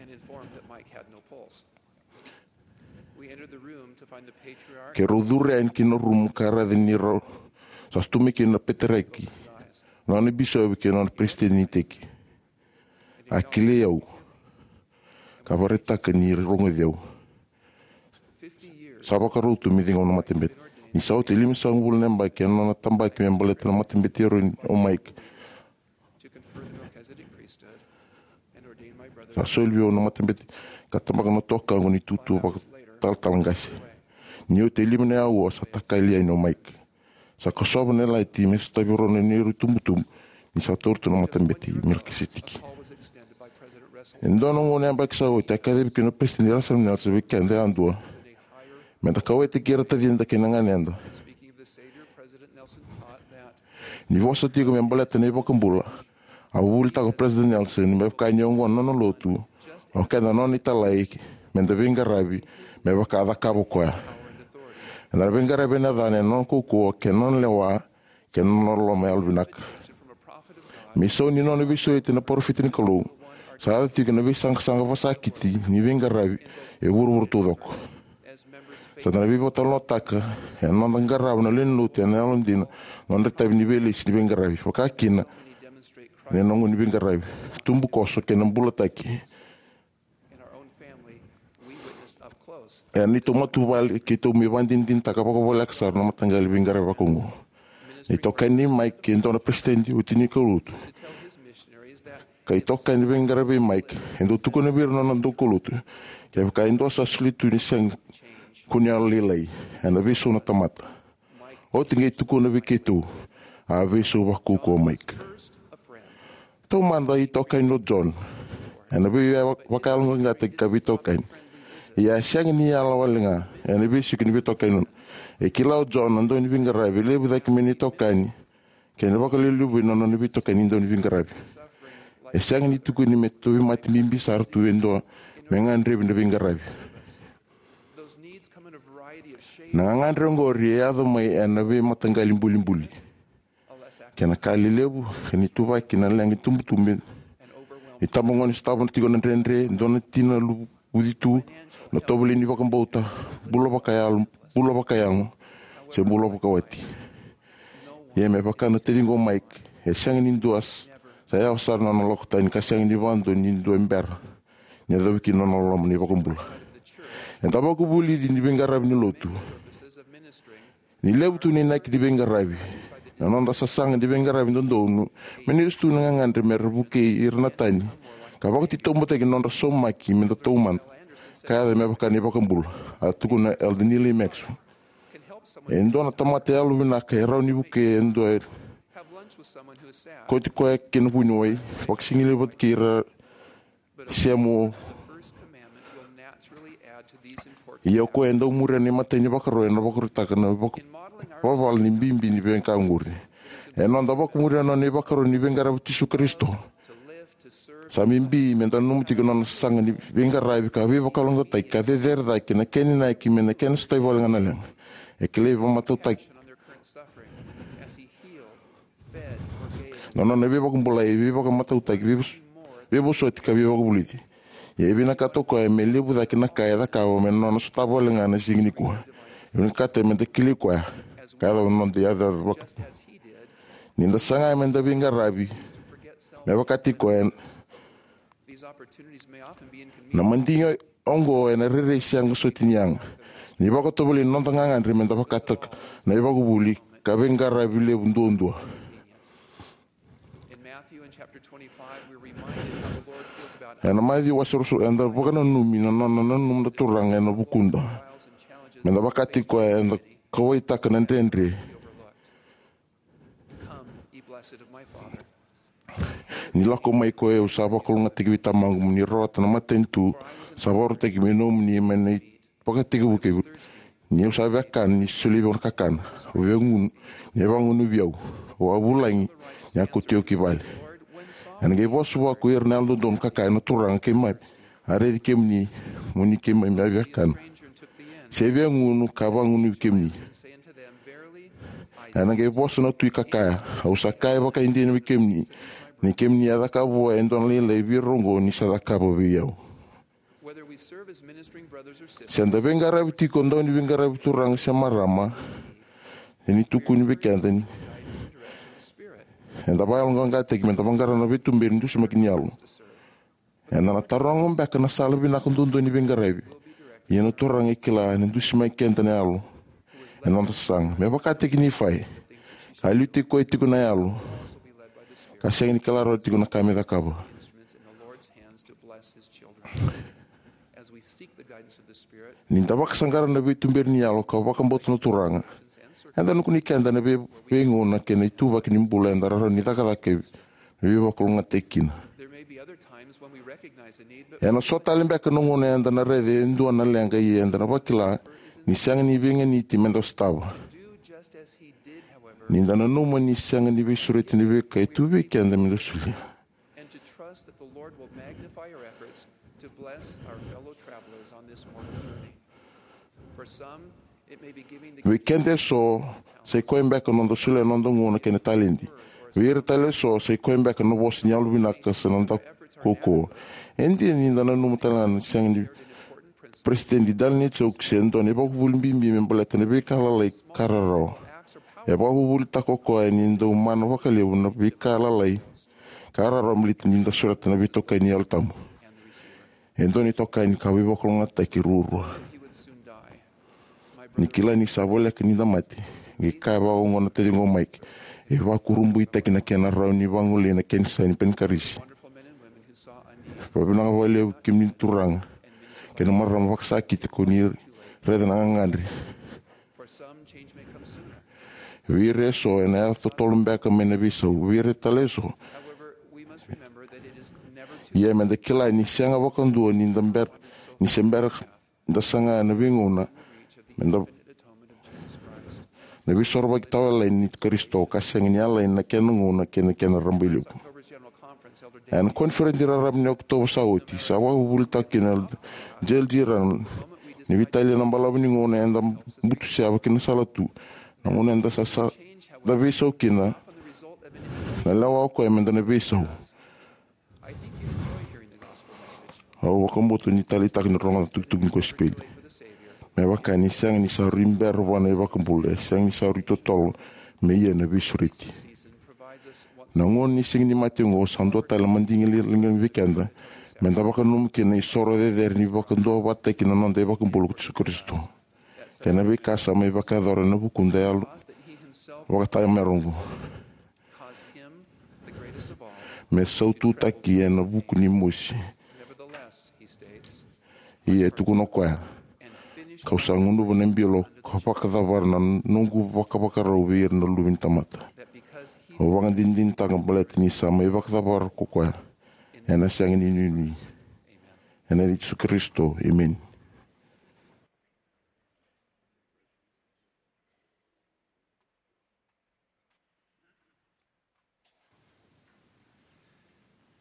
and informed that Mike had no pulse. We entered the room to find the patriarch. Keirau curu yani ki na rumu ka raica ni rau sa tu mai kina na peteriaki, nona bisopi kei nona peresitedi ni iteki. A kilai au ka vakaraitaka ni rogoci au. Sa vakarau tu me ciqoma na matabete. Ni sa oti e limasagavulu na yabaki ena nona tabaki me baleta na matabete Eroni o Mike, sa soli vei au na matabete ka tabaka na tuakaqu ni tutu vakatalatala qase. Ni oti e lima na aua sa takali yani o Mike. Sa kosova na yalati me sotavi rau na neirau itubutubu ni sa taura tu na matabete i Melikiseteki. E dua na gauna yabaki sa oti a kacivi kina o Peresitedi Russell Nelson vei keda yadua meda kauwaitaki ira tacida kei na ganeda. Ni vosa tiko me baleta na iVakabula, a vuvulitaka o Peresitedi Nelson me vaka ni oqo na nona lotu, o keda na nona italai, meda veiqaravi me vaka a cakava o koya. Eda na veiqaravi ena yacana, ena nona kaukauwa kei na nona lewa kei na nona loloma yalovinaka. Me isau ni nona veisureti na parofita ni Kalou, sa yaco tiko na veisaqasaqa vakasakiti ni veiqaravi e vuravura taucoko. Sa da na veivakatalanoataka ena noda qarava na lewe ni lotu ena yalodina na nodra itavi ni veilesi ni veiqaravi, vaka kina na noqu ni veiqaravi, tubukoso kei na bulataki. Ena neitou matavuvale keitou mai vakadinadinataka vakavoleka sara na mataqali veiqaravi vakaoqo. Na itokani nei Mike e dua na peresitedi oti ni kaulotu, ka itokani veiqaravi vei Mike, e dau tukuna vei ira na nona daukaulotu, kevaka e dua sa soli tu ni sega ni kunea lailai ena veisau na tamata, oti qai tukuna vei keitou. A veisau vakaukauwa o Mike. Taumada, itokani o John ena veivakayaloqaqataki ka veitokani. Ia e sega ni yala wale ga ena veisiko ni veitokani nona. E kila o John na dau ni veiqaravi e levu cake mai na itokani kei na vakalevulevui na nona veitokani ni dau ni veiqaravi. E sega ni tukuni me tauvimate bibi sara tu e dua me gadrevi na veiqaravi. Na gagadre oqori e yaco mai ena veimataqali bulibuli kei na ka lelevu, ka ni tuvaki na leqa itubutubu e tabagone, sotava tiko na dredre, dua na tina luvuci tu, na tovolei ni vakabauta, bula vakayalo, bula vakayago, se bula vakawati. Ia me vaka na taciqu o Mike, e sega ni dua sa yawa sara na nona lako tani ka sega ni vakadua ni dua e bera ni yacovi kina na nona loloma na iVakabula. Eda vakavulici ni veiqaravi ni lotu. Ni levu tu na inaki ni veiqaravi, na noda sasaga ni veiqaravi dodonu me na lesu tu na gagadre me ra vukei ira na tani ka vakatitobutaki na nodra saumaki me da taumada ka yaco me vaka na iVakabula. A tukuna o Elder Neal A. Maxwell, e dua na tamata yalovinaka e rawa ni vukei e dua e kauti koya ki na vuniwai, vakasigalevu vata kei ira semo. Ia o koya e dau muria na imatai ni ivakaro ena vakarautaka na vaka, vavala ni bibi ni veika oqori. Ena noda vakamuria na nona ivakaro ni veiqaravi o Jisu Karisito, sa bibi me da nanuma tiko na nona sasaga ni veiqaravi ka veivakalougatataki ka cecere cake na kena inaki me na kena sotavi wale ga na leqa. E kilai vakamatautaki na nona veivakabulai, veivakamatautaki, veivos-, veivosoti ka veivakavulici. Ia e vinakata o koya me levu cake na ka e cakava me na nona sotava wale ga na siga nikua. E vinakata me da kilai koya ka yaco na noda yacoyaco vaka. Ni da saga me da veiqaravi me vakataki koya, na madigi oqo ena rairai sega soti ni yaga. Ni vakatovolei na noda gagadre me da vakataka na ivakavuvuli ka veiqaravi levu duadua. Ena Maciu wase ruasagavulu, eda vakananumi na nona nanuma na Turaga ena vukuda. Me da vakataki koya, eda kauwaitaka na dredre. Ni lako mai ko au, sa vakalougatataki vei Tamaqu, mo ni rawata na matanitu sa vakarautaki me nomuni mai na ivakatekivu kei vuravura. Ni au sa via kana, ni solia vei au na kakana, au via gunu, ni a vagunuvi au, au a vulagi, ni a kauti au ki vale. Ena qai vosa vua ko ira na yalododonu, ka kaya, na Turaga, keimami a raici kemuni, mo ni keimami a via kana. Se via gunu, ka vagunuvi kemuni. Ena qai vosa na tui ka kaya, au sa kaya vakaidina vei kemuni, ni kemuni a cakava vua e dua na lailai vei ira oqo, ni sa cakava vei au. Se da veiqaravi tiko dau ni veiqaravi turaga se marama, e ni tukuni vei keda ni eda vakayaloqaqataki me da vaqara na veituberi ni dusimaki ni yalo. Eda na taroga beka na sala vinaka duadua ni veiqaravi. Ia na Turaga e kila ni dusimaki keda na yalo ena noda sasaga. Me vakataki Nifai, ka liutaki koya tiko na yalo, ka sega ni kila rawa tiko na ka me cakava. Ni da vakasaqara na veituberi ni yalo ka vakabauta na Turaga, eda na kunei keda na vei-, veigauna kei na ituvaki ni bula eda rawa ni cakacaka me veivakalougatataki kina. Ena so tale beka na gauna eda na raica e dua na leqa, ia eda na vakila ni sega ni veiganiti me da sotava. Ni da nanuma ni sega ni veisureti na veika e tu vei keda me da solia. Vei keda eso, sai koya beka na noda solia na noda gauna kei na taledi. Vei ira tale eso, sai koya beka na vosa ni yalovinaka se na noda kaukauwa. E dina ni da nanuma tale ga na sega ni Peresitedi Dallin H. Oaks e dua na ivakavuvuli bibi me baleta na veika lalai ka rarawa. E vakavuvulitaka o koya ni dau mana vakalevu na veika lalai ka rarawa baleta ni da sureta na veitokani ni Yalo Tabu. E dua na itokani ka veivakalougatataki ruarua. Ni kila ni sa voleka ni da mate, Qai kaya vakaoqo na taciqu o Mike: "E vakurabuitaki na kena rawa ni vagolei na kenisa ni panikarisi. Vakavinavinaka vakalevu kemuni turaga kei na marama vakasakiti ko ni raica na gagadre. Vei ira eso ena yaco totolo beka mai na veisau. Vei ira tale eso, ia meda kila ni sega vakadua ni da bera, ni se bera da saga na veigauna, meda na veisorovaki tawayalani ni Karisito, ka sega ni yalani na kena gauna kei na kena rabailevu." Ena koniferedi raraba ni Okotova sa oti, sa vakavuvulitaka kina o Elder J L G Randall ni veitalia na balavu ni gauna eda butuseva ki na sala tu, na gauna eda sa, sa da veisau kina. Na lewa o koya meda na veisau. Au vakabauta ni taleitaka ni rogoca na tukutuku ni kosipeli. Me vaka ni sega ni sa rui bera vua na iVakabula, e sega ni sa rui totolo me ia na veisureti. Na gauna ni Siga ni Mate oqo sa dua tale na madigi liga vei keda meda vakananuma kina na isoro cecere ni vakaduavatataki na noda iVakabula ko Jisu Karisito kei na veika sa mai vakayacora ena vukuda yalo vakatayamero oqo. Me saututaki ena vuku ni mosi. Ia e tukuna o koya: "Kau sa gunuva na bilo ka vakacavara na noqu vakavakarau vei ira na luve ni tamata. Au vakadinadinataka baleta ni sa mai vakacavara ko koya ena sega ni nuinui." Ena yaca i Jisu Karisito, emeni.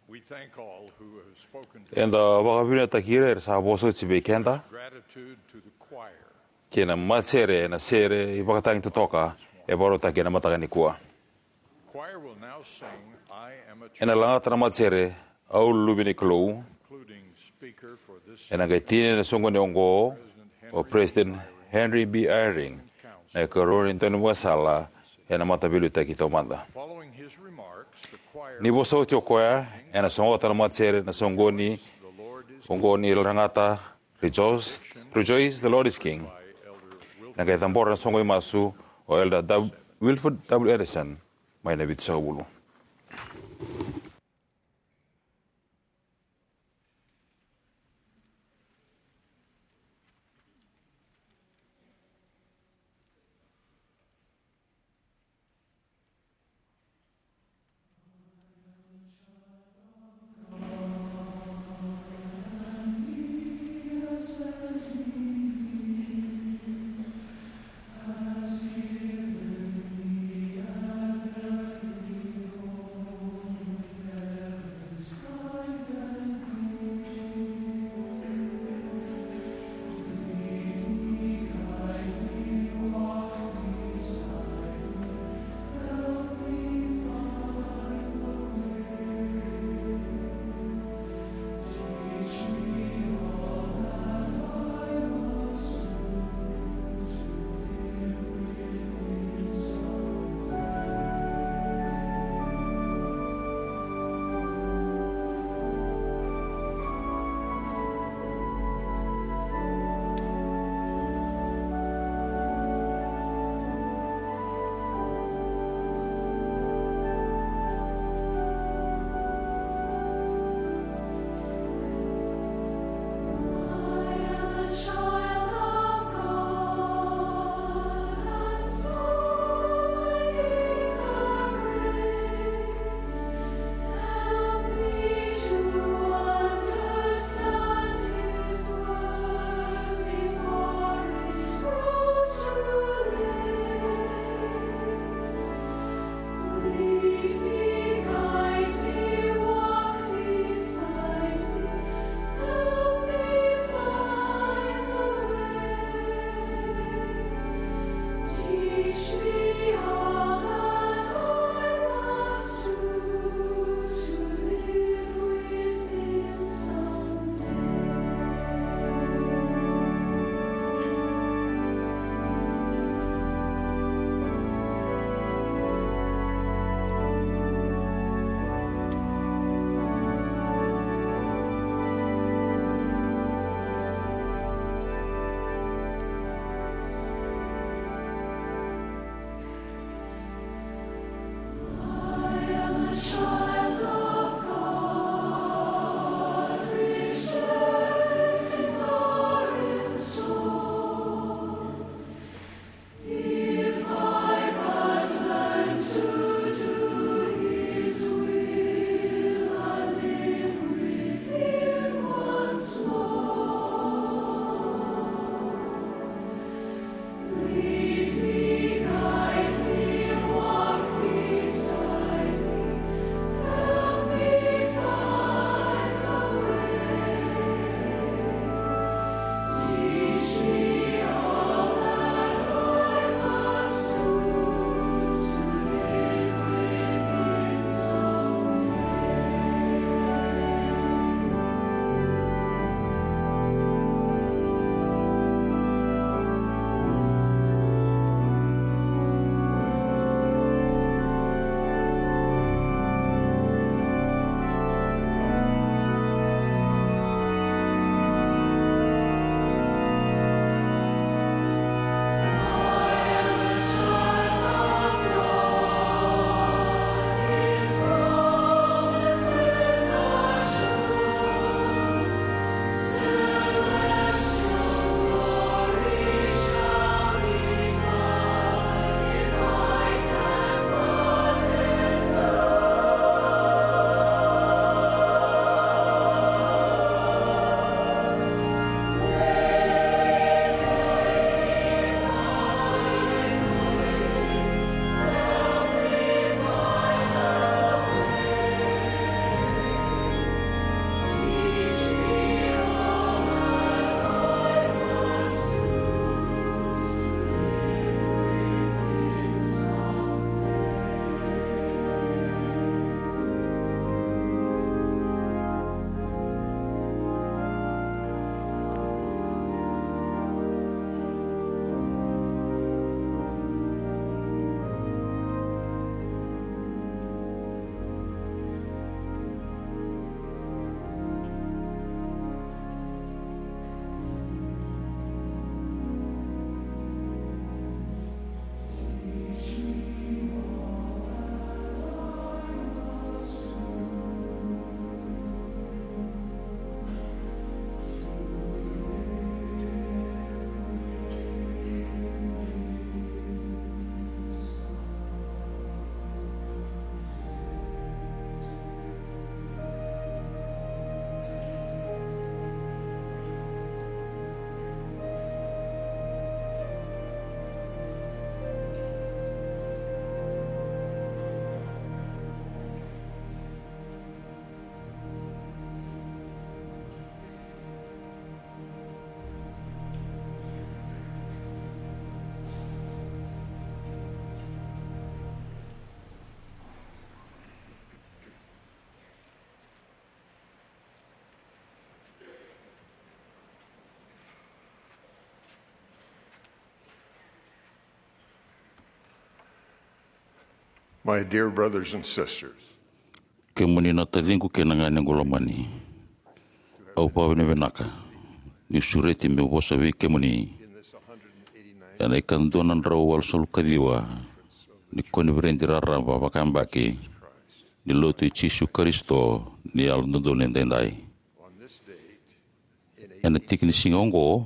We thank all who have spoken to Eda vakavinavinakataki ira era sa vosa oti vei keda. Gratitude to the choir. Kei na matasere ena sere ivakatagi totoka e vakarautaki ena mataka nikua. Choir will now sing, "I Am a Child," ena lagata na matasere, "Au Luve ni Kalou." Concluding speaker for this Ena qai tinia na soqoni oqo o President Henry B. Eyring, na ikarua ni daunivakasala ena Mataveiliutaki Taumada. Following his remarks, the choir Ni vosa oti o koya, ena sogota na matasere na soqoni oqo ni lagata, "Rejoice, Rejoice, the Lord is King." Ena qai cabora na soqoni masu o Elder W-, Wilford W. Anderson, mai na vitusagavulu. My dear brothers and sisters, kemuni na taciqu kei na ganequ lomani, au vakavinavinaka niu sureti meu vosa vei kemuni ena ikadua na drau walusagavulu ka ciwa ni koniferedi raraba vakayabaki ni Lotu i Jisu Karisito ni Yalododonu Edaidai. Ena tiki ni siga oqo,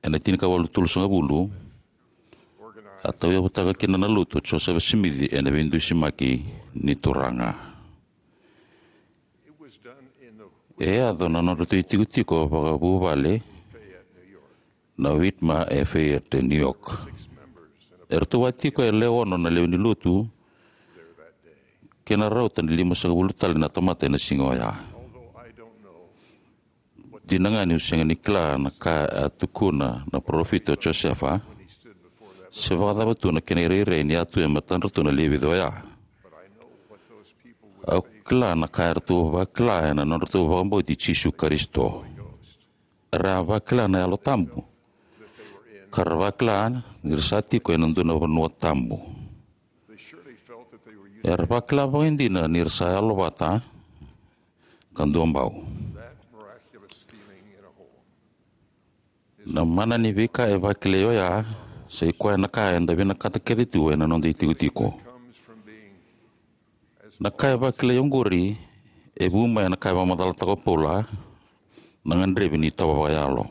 ena tinikawalu tolusagavulu, a tauyavutaka kina na Lotu o Josefa Simici ena veidusimaki ni Turaga. E yaco na nodratou itikotiko vakavuvale na Whitmer e Fayette, New York. Eratou a tiko e lewe ono na lewe ni Lotu kei na rauta ni limasagavulu tale na tamata ena siga oya. Dina ga niu sega ni kila na ka a tukuna na parofita o Josefa, se vakacava tu na kena irairai ni a tu e matadratou na lewe vica oya. Au kila na ka eratou vakila ena nodratou vakabauti Jisu Karisito. Era a vakila na Yalo Tabu, ka ra vakila ni ra sa tiko ena dua na vanua tabu. Era vakila vakaidina ni ra sa yalovata ka duabau. Na mana ni veika e vakilai oya sa i koya na ka eda vinakata kece tu ena noda itikotiko. Na ka e vakilai oqori e vu mai ena ka e vakamacalataka o Paula na gadrevi ni itovo vakayalo.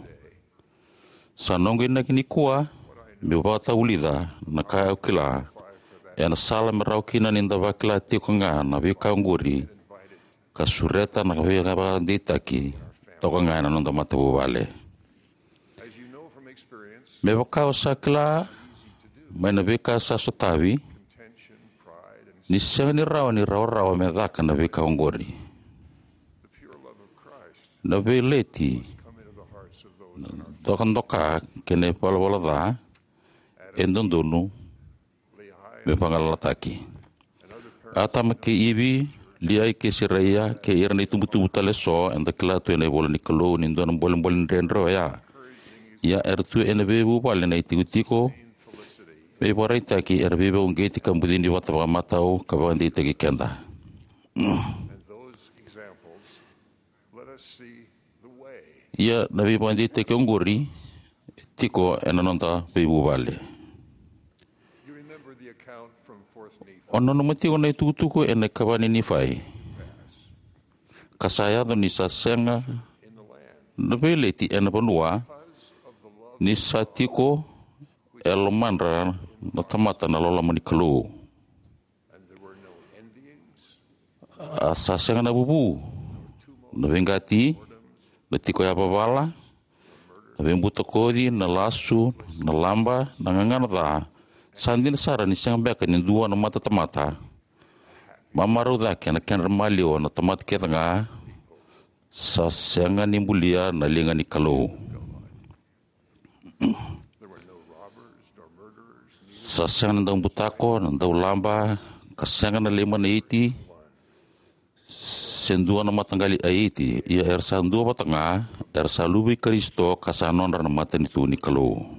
Sa noqu inaki nikua meu vakatavulica na ka au kila ena sala me rawa kina ni da vakila tiko ga na veika oqori ka sureta na veivakadeitaki toka ga ena noda matavuvale. Me vaka o sa kila mai na veika sa sotavi, ni sega ni rawa ni rawarawa me caka na veika oqori. Na veileti, na dokadoka kei na ivalavala ca e dodonu me vagalalataki. Atama kei Ivi, Liai kei Seraia, kei ira na itubutubu tale eso, eda kila tu ena ivola ni Kalou ni dua na bolebole dredre oya. Ia era tu ena veivuvale na itikotiko me ivakaraitaki era veivakauqeti ka bucini vata vakamatau ka vakadeitaki keda. Ia na veivakadeitaki oqori e tiko ena noda veivuvale. O nanuma tiko na itukutuku ena ikava ni Nifai, ka sa yaco ni sa sega na veileti ena vanua ni sa tiko e lomadra na tamata na loloma ni Kalou. A sa sega na vuvu, na veiqati, na tiko yavavala, na veibutakoci, na lasu, na laba, na gagana ca. Sa dina sara ni sega beka ni dua na matatamata mamarau cake ena kedra maliwa na tamata kece ga. Sa sega ni bulia na liga ni Kalou. Sa sega na daubutako, na daulaba, ka sega na leimanaiti se dua na mataqali Aiti. Ia era sa dua vata ga, era sa luve i Karisito ka sa nodra na matanitu ni Kalou.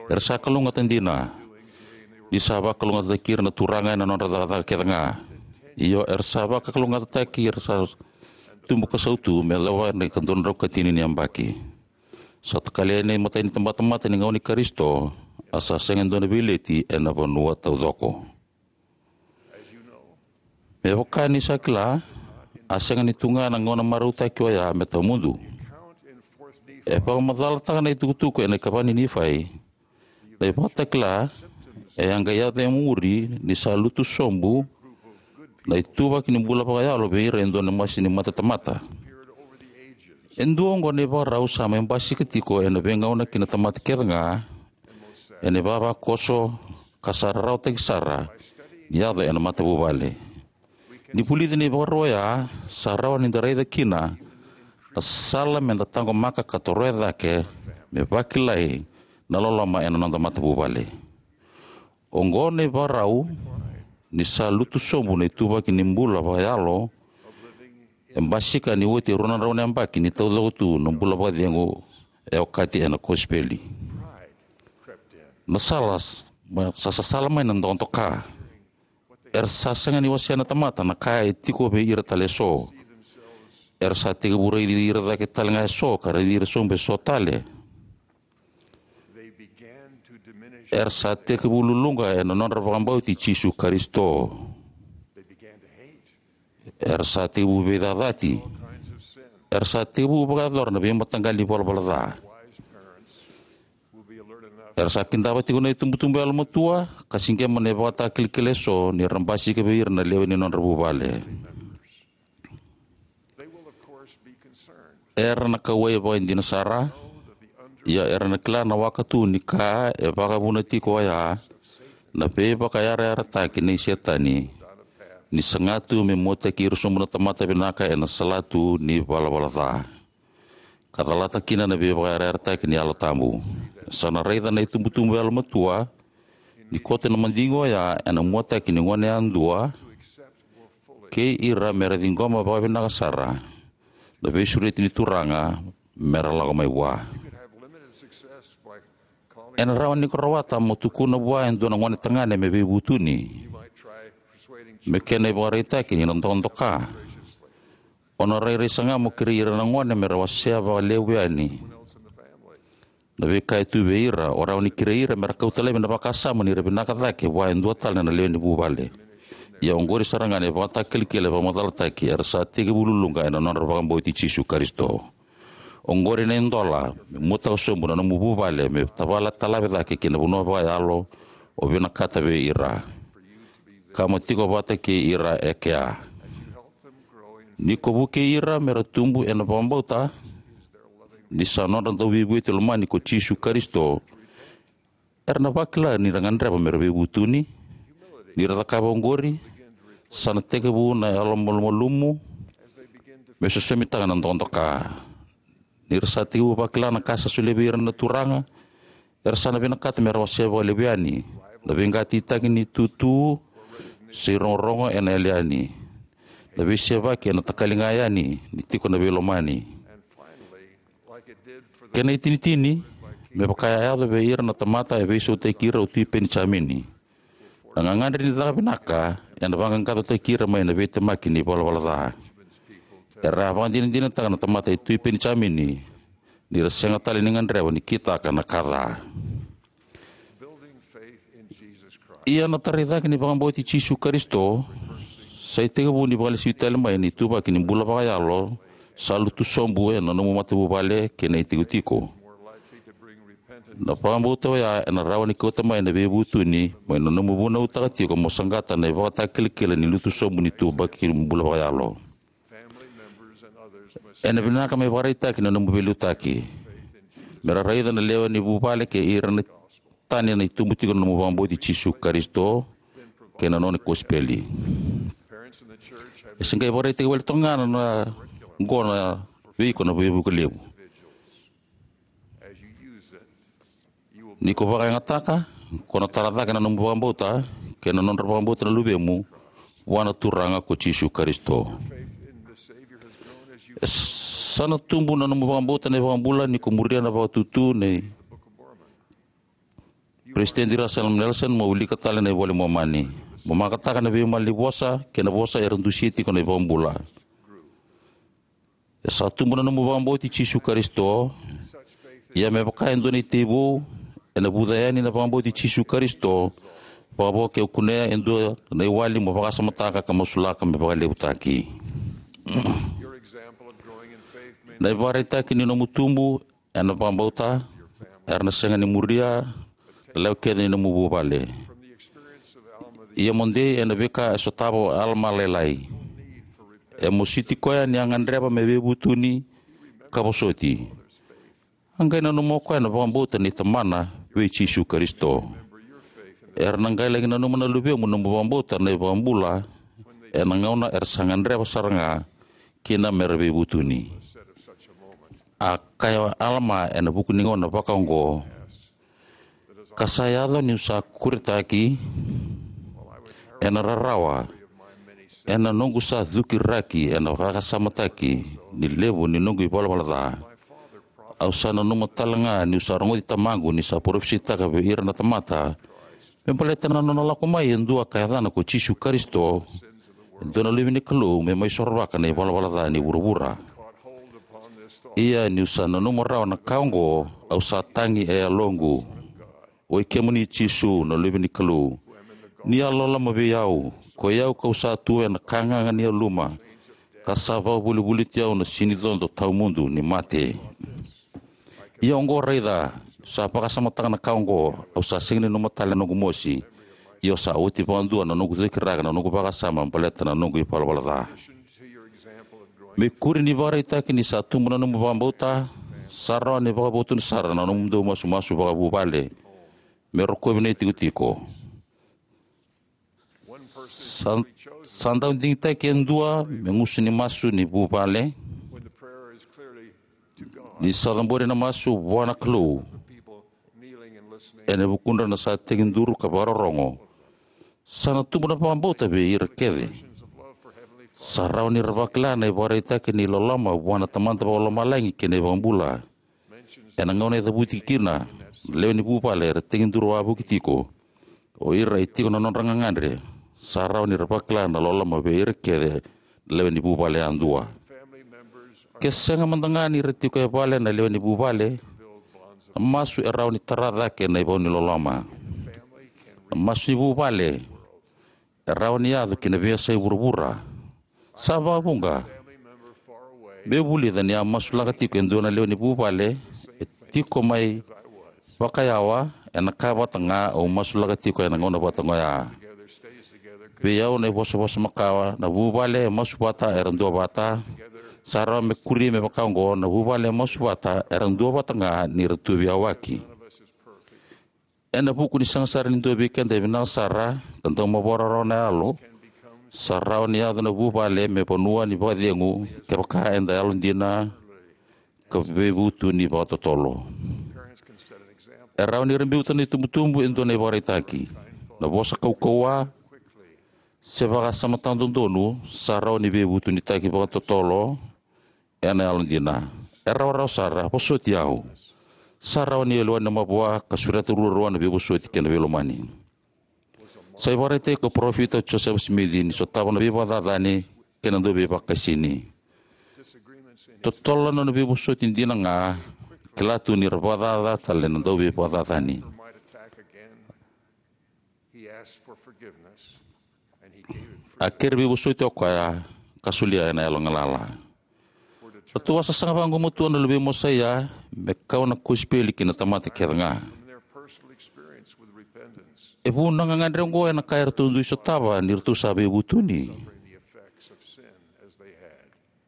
Era sa kalougata dina, ni sa vakalougatataki ira na Turaga ena nodra cakacaka kece ga. Io, era sa vakalougatataki, era sa tubu ka sautu me yacova na ikadua na drau ka tini ni yabaki. Sa takali yani na imatai ni tabatamata ni gauna i Karisito, a sa sega e dua na veileti ena vanua taucoko. Me vaka ni sa kila, a sega ni tu ga na gauna marautaki oya me tawamudu. E vakamacalataka na itukutuku ena ikava ni Nifai na ivakatakila e a qai yaco e muri ni sa lutu sobu na ituvaki ni bula vakayalo vei ira e dua na masi ni matatamata. E dua oqo na ivakarau sa mai basika tiko ena veigauna ki na tamata kece ga ena ivavakoso, ka sa rarawataki sara ni yaco ena matavuvale. Ni vulica na ivakarau oya, sa rawa ni da raica kina na sala me da taqomaka ka toroya cake me vakilai na loloma ena noda matavuvale. Oqo na ivakarau ni sa lutu sobu na ituvaki ni bula vakayalo e basika ni oti e rua na drau na yabaki ni taucoko tu na bula vakacegu e okati ena kosipeli. Na sala s-, ma-, sa sasala mai na dokadoka. Era sa sega ni wasea na tamata na ka e tiko vei ira tale eso. Era sa tekivu raici ira cake tale ga eso ka raici ira sobu eso tale. Era sa tekivu luluqa ena nodra vakabauti Jisu Karisito. Era sa tekivu veicacati. Era sa tekivu vakayacora na veimataqali valavala ca. Era sa kidava tiko na itubutubu yalomatua ka siqema na ivakatakilakila eso ni ra basika vei ira na lewe ni nodra vuvale. Era na kauwai vakaidina sara, ia era na kila na waka tu ni ka e vakavuna tiko oya na veivakayarayarataki nei Setani, ni saga tu me muataki ira sobu na tamata vinaka ena salatu ni valavala ca ka calata kina na veivakayarayarataki ni Yalo Tabu. Sa na raica na itubutubu yalomatua ni koto na madigi oya ena muataki ni gone yadua kei ira me ra ciqoma vakavinaka sara na veisureti ni Turaga me ra lako mai vua. Ena rawa ni ko rawata mo tukuna vua e dua na gone tagane me veivutuni me kena ivakaraitaki ni na dokadoka. O na rairai saga mo kerei ira na gone me ra wasea vakalevu yani na veika e tu vei ira. O rawa ni kerei ira me ra kauta laivi na vakasama ni ra vinaka cake vua e dua tale na lewe ni vuvale. Ia oqori sara ga na ivakatakilakila e vakamacalataki era sa tekivu luluqa ena nodra vakabauti Jisu Karisito. Oqori na idola me muataka sobu na nomu vuvale me tavala talave cake ki na vanua vakayalo o vinakata vei ira ka mo tiko vata kei ira e kea. Ni ko vukei ira me ra tubu ena vakabauta ni sa nodra Dauveivueti lomani ko Jisu Karisito, era na vakila ni ra gadreva me ra veivutuni. Ni ra cakava oqori, sa na tekivu na yalomalumalumu me sosomitaka na dokadoka. Ni ra sa tekivu vakila na ka sa solia vei ira na Turaga, era sa na vinakata me ra wasea vakalevu yani na veiqatitaki ni tutu se irogorogo ena yali yani, na veisevaki ena takali ga yani ni tiko na veilomani. Kena itinitini, me vaka e a yaco vei ira na tamata e veisautaki ira o Tui Penijamini, na gagadre ni caka vinaka ena vaqaqacotaki ira mai na veitemaki ni valavala ca. Era a vakadinadinataka na tamata i Tui Penijamini ni ra sega tale ni gadreva ni kitaka na ka ca. Ia na tarai cake ni vakabauti Jisu Karisito sa itekivu ni vakalesui tale mai na ituvaki ni bula vakayalo sa lutu sobu ena nomu matavuvale kei na itikotiko. Na vakabauta oya ena rawa ni kauta mai na veivutuni mai na nomu vunautaka tiko mo saqata na ivakatakilakila ni lutu sobu ni ituvaki ni bula vakayalo. Ena vinaka me vakaraitaki na nomu veiliutaki me ra raica na lewe ni vuvale kei ira na tani na itubu tiko na nomu vakabauti Jisu Karisito kei na nona kosipeli. E se qai vakaraitaki wale toka ga na oqo na vei iko na veivuke levu. Ni ko vakayagataka, ko na tara cake na nomu vakabauta kei na nodra vakabauta na luvemu vua na Turaga ko Jisu Karisito. E sa na tubu na nomu vakabauta na iVakabula ni ko muria na vakatutu nei Peresitedi Russell M. Nelson mo wilika tale na iVola i Momani, mo makataka na veimalanivosa kei na vosa era dusia tiko na iVakabula. E sa tubu na nomu vakabauti Jisu Karisito. Ia me vaka e dua na itei vou, ena vuca yani na vakabauti Jisu Karisito vakavo ke o kunea e dua na iwali mo vakasamataka ka masulaka me vakalevutaki. Na ivakaraitaki ni nomu tubu ena vakabauta era na sega ni muria na lewe kece ni nomu vuvale. Ia mo dei ena veika e sotava o Alama Lailai. E mositi koya ni a gadreva me veivutuni ka vosoti. A qai nanuma o koya na vakabauta nei tamana vei Jisu Karisito. Era na qai laki nanuma na luvemu na nomu vakabauta na iVakabula ena gauna era sa gadreva sara ga kina me ra veivutuni. A kaya o Alama ena vuku ni gauna vakaoqo: Ka sa yaco niu sa kuretaki ena rarawa, ena noqu sa cukiraki ena vakasamataki ni levu ni noqu ivalavala ca, au sa nanuma tale ga niu sa rogoci tamaqu ni sa parofisaitaka vei ira na tamata Me baleta na nona lako mai e dua ka yacana ko Jisu Karisito, e dua na Luve ni Kalou, me mai sorovaka na ivalavala ca ni vuravura. Ia niu sa nanuma rawa na ka oqo, au sa tagi e yaloqu. Oi kemuni Jisu, na Luve ni Kalou, ni a loloma vei au, koi au kau sa tu ena ka gaga ni yaluma, ka sa vakavolivoliti au na sinicodo tawamudu ni mate. Ia oqo raica, sa vakasamataka na ka oqo, au sa sega ni nanuma tale na noqu mosi. Ia au sa oti vakadua na noqu cakiraka na noqu vakasama baleta na noqu ivalavala ca. Me ikuri ni vakaraitaki ni sa tubu na nomu vakabauta, sa rawa ni vakavotuni sara na nomudou masumasu vakavuvale me rokovi na itikotiko. Sa, sa dau digitaki e dua me gusu ni masu ni vuvale. Ni sa cabori na masu vua na Kalou, ena vukudra na sa tekiduru ka vakarorogo, sa na tubu na vakabauta vei ira kece. Sa rawa ni ra vakila na ivakaraitaki ni loloma vua na Tamada Vakalomalagi kei na iVakabula. Ena gauna e cavuti kina na lewe ni vuvale era tekiduru wavoki tiko, o ira e tiko na nodra gagadre, sa rawa ni ra vakila na loloma vei ira kece na lewe ni vuvale yadua. Ke sega mada ga ni ra tiko e vale na lewe ni vuvale, na masu e rawa ni tara cake na ivau ni loloma. Na masu ni vuvale e rawa ni yaco ki na veiyasai vuravura. Sa vakavuqa. Me vulica ni a masulaka tiko e dua na lewe ni vuvale e tiko mai vakayawa ena ka vata ga au masulaka tiko ena gauna vata ga oya. Vei au na ivosavosa makawa, na vuvale e masu vata era dua vata. Sa rawa me kuri me vaka oqo, na vuvale e masu vata era dua vata ga ni ra tu veiyawaki. Ena vuku ni sega sara ni dua vei keda e vinaka sara ka dau mavoa rawa na yalo, sa rawa ni yaco na vuvale me vanua ni vakacegu kevaka eda yalodina ka veivutuni vakatotolo. E rawa ni ra biuta na itubutubu e dua na ivakaraitaki. Na vosa kaukauwa se vakasama tadodonu sa rawa ni veivutunitaki vakatotolo ena yalodina. E rawarawa sara, vosoti au. Sa rawa ni yalowani na mavoa ka sureta ruarua na veivosoti kei na veilomani. Sa ivakaraitaki ko Parofita Josefa Simici ni sotava na veivakacacani kei na dauveivakaisini. Totolo na nona veivosoti dina ga, kila tu ni ra vakacaca tale na dauveivakacacani. A kere veivosoti o koya, ka solia ena yalo galala. Ratou a sasaga vagumatua na luvei Mosaia me kau na kosipeli ki na tamata kece ga. E vu na gagadre oqo ena ka eratou dui sotava ni ratou sa veivutuni.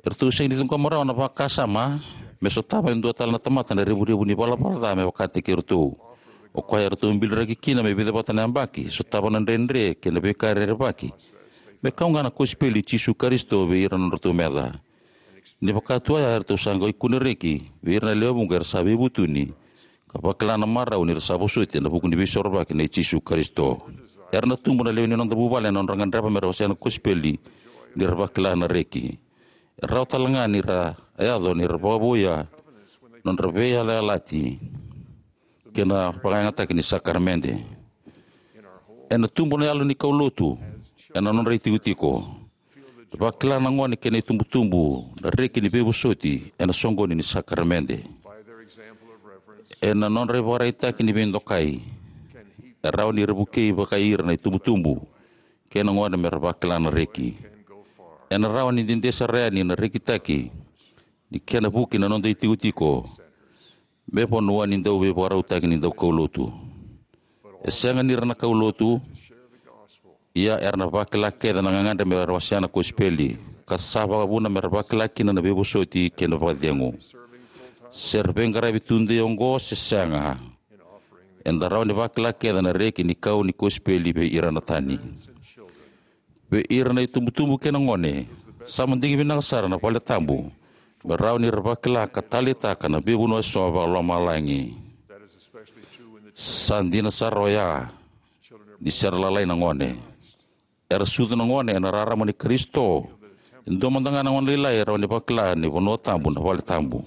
Eratou sega ni ciqoma rawa na vakasama me sotava e dua tale na tamata na revurevu ni valavala ca me vakataki iratou. O koya eratou biliraki kina me vica vata na yabaki, sotava na dredre kei na veika rerevaki, me kau ga na kosipeli i Jisu Karisito vei ira na nodratou meca. Ni vaka tu oya, eratou sa qai kune reki vei ira na lewe vuqa era sa veivutuni, ka vakila na marau ni ra sa vosoti ena vuku ni veisorovaki nei Jisu Karisito. Era na tubu na lewe ni noda vuvale ena nodra gadreva me ra wasea na kosipeli ni ra vakila na reki. E rawa tale ga ni ra yaco ni ra vakavouya nodra veiyalayalati kei na vakayagataki ni sakaramede. Ena tubu na yalo ni kaulotu ena nodra itikotiko. Vakila na gone kei na itubutubu na reki ni veivosoti ena soqoni ni sakaramede. Ena nodra ivakaraitaki ni veidokai, e rawa ni ra vukei vakai ira na itubutubu kei na gone me ra vakila na reki. Ena rawa ni dede sara yani na rekitaki ni kena vuki na noda itikotiko me vanua ni dauveivakarautaki ni daukaulotu. E sega ni ra na kaulotu, ia era na vakila kece na gagadre me ra wasea na kosipeli, ka sa vakavuna me ra vakila kina na veivosoti kei na vakacegu. Se ra veiqaravi tudei oqo se sega, eda rawa ni vakila kece na reki ni kau ni kosipeli vei ira na tani. Vei ira na itubutubu kei na gone, sa madigi vinaka sara na vale tabu me rawa ni ra vakila ka taleitaka na veivanua eso vakalomalagi. Sa dina sara oya ni se ra lalai na gone. Era sucu na gone ena rarama ni Karisito. E dua mada ga na gone lailai e rawa ni vakila ni vanua tabu na vale tabu.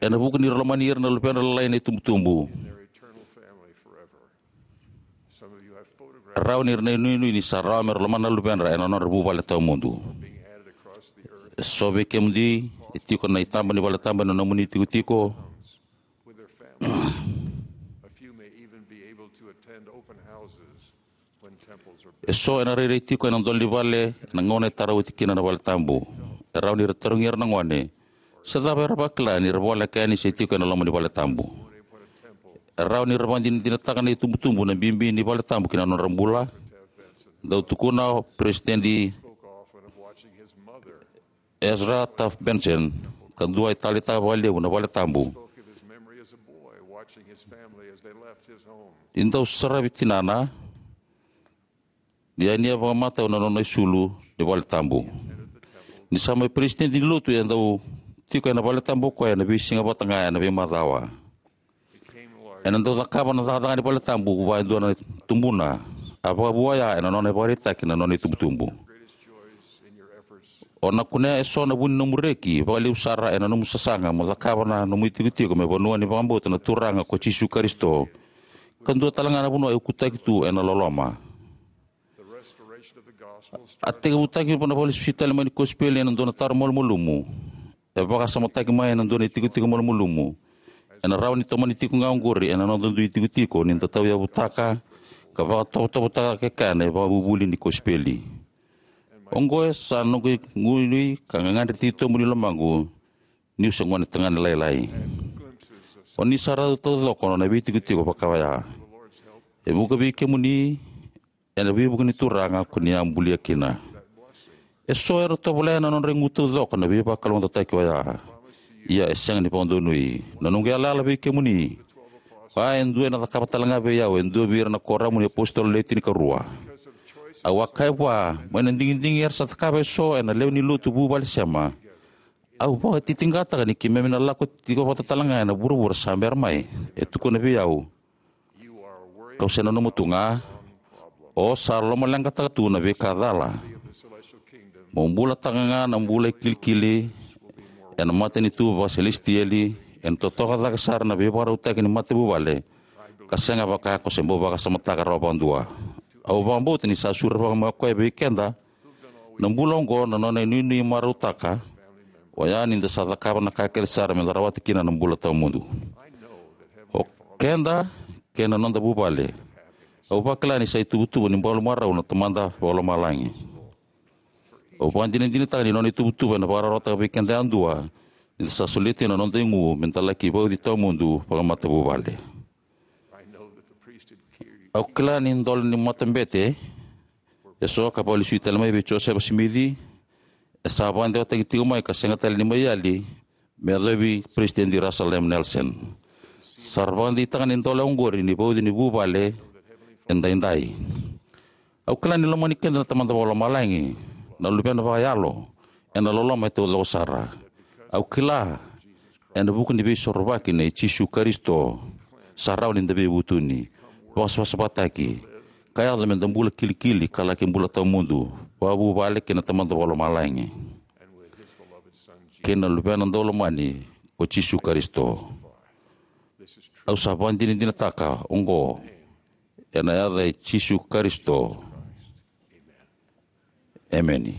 Ena vuku ni ra lomani ira na luvedra lailai na itubutubu. Rawa ni ra na inuinui ni sa rawa me ra lomana na luvedra ena nodra vuvale tawamudu. E so vei kemudou e tiko na itaba ni valetabu ena nomuni tikotiko. E so ena rairai tiko ena dolo ni vale ena gauna e tara oti kina na valetabu. E rawa ni ra tarogi ira na gone se cava era vakila ni ra voleka yani se tiko ena loma ni valetabu. E rawa ni ra vakadinadinataka na itubutubu na bibi ni valetabu ki na nodra bula. Dau tukuna o Peresitedi Ezra Taft Benson, ka dua e taleitaka vakalevu na valetabu. Ni dau saravi tinana ni a nia vakamatau na nona isulu ni valetabu. Ni sa mai peresitedi ni lotu, e dau tiko ena valetabu o koya ena veisiga vata ga ena veimacawa. Ena dau cakava na cakacaka ni valetabu vua e dua na tubuna, a vakavua oya ena nona ivakaraitaki na nona itubutubu. O na kunea e so na vu ni nomu reki vakalevu sara ena nomu sasaga mo cakava na nomu itikotiko me vanua ni vakabauta na Turaga ko Jisu Karisito, ka dua tale ga na vanua e ukutaki tu ena loloma. A tekivutaki na vakalesui tale mai ni kosipeli ena dua na taro malumalumu. E vakasamataki mai ena dua na itikotiko malumalumu. Ena rawa ni tomani tiko ga oqori ena noda dui itikotiko ni da tauyavutaka ka vakatovotovotaka kekea na ivakavuvuli ni kosipeli. Oqo e sa noqu inuinui ka gagadre titobu ni lomaqu niu se gone tagane lailai. O ni sa raica taucoko na veitikotiko vaka oya. E vuqa vei kemuni ena veivuke ni Turaga ko ni a bulia kina. E so era tovolea na nodra igu taucoko na veivakalougatataki oya. Ia e sega ni vakadonui. Na noqu yalayala vei kemuni, oya e dua ena cakava tale ga vei au e dua vei ira na kuoramu ni apositolo le tinikarua. Au a kaya vua, mai na digidigi era sa cakava e so ena lewe ni lotu vuvale sema, au vakatitiqataka ni keimami na lako tiko vata tale ga ena vuravura sa bera mai. E tukuna vei au, kau se nanuma tu ga, o sa lomaleqataka tu na veika cala. Mo bulataka ga na bula e kilikili ena matanitu vakaselesitieli, ena totoka cake sara na veivakarautaki ni matavuvale, ka sega vaka ko se bau vakasamataka rawa vakadua. Au vakabauta ni sa surevaka mai o koya vei keda na bula oqo na nona inuinui marautaka, oya ni da sa cakava na ka kece sara me da rawata kina na bula tawamudu. O keda kei na noda vuvale, au vakila ni sa ituvatuva ni bula marau na Tamada Vakalomalagi. Au vakadinadinataka ni nona ituvatuva ena vakararawataka vei keda yadua ni da sa solia tiko na noda igu me da laki vauci tawamudu vakamatavuvale. Au kila ni dolo ni matabete e so ka vakalesui tale mai vei Josefa Simici, e sa vakadewataki tiko mai ka sega tale ni mai yali me yacovi Peresitedi Russell M. Nelson. Sa ra vakadeitaka na idolo oqori ni vauci ni vuvale edaidai. Au kila ni lomani keda na Tamada Vakalomalagi, na Luvena vakayalo, ena loloma e taucoko sara. Au kila, ena vuku ni Veisorovaki nei Jisu Karisito, sa rawa ni da veivutuni, vakasavasavataki, ka yaco me da bula kilikili ka laki bula tawamudu vakavuvale kei na Tamada Vakalomalagi kei na Luvena daulomani ko Jisu Karisito. Au sa vakadinadinataka oqo ena yaca i Jisu Karisito. Emeni.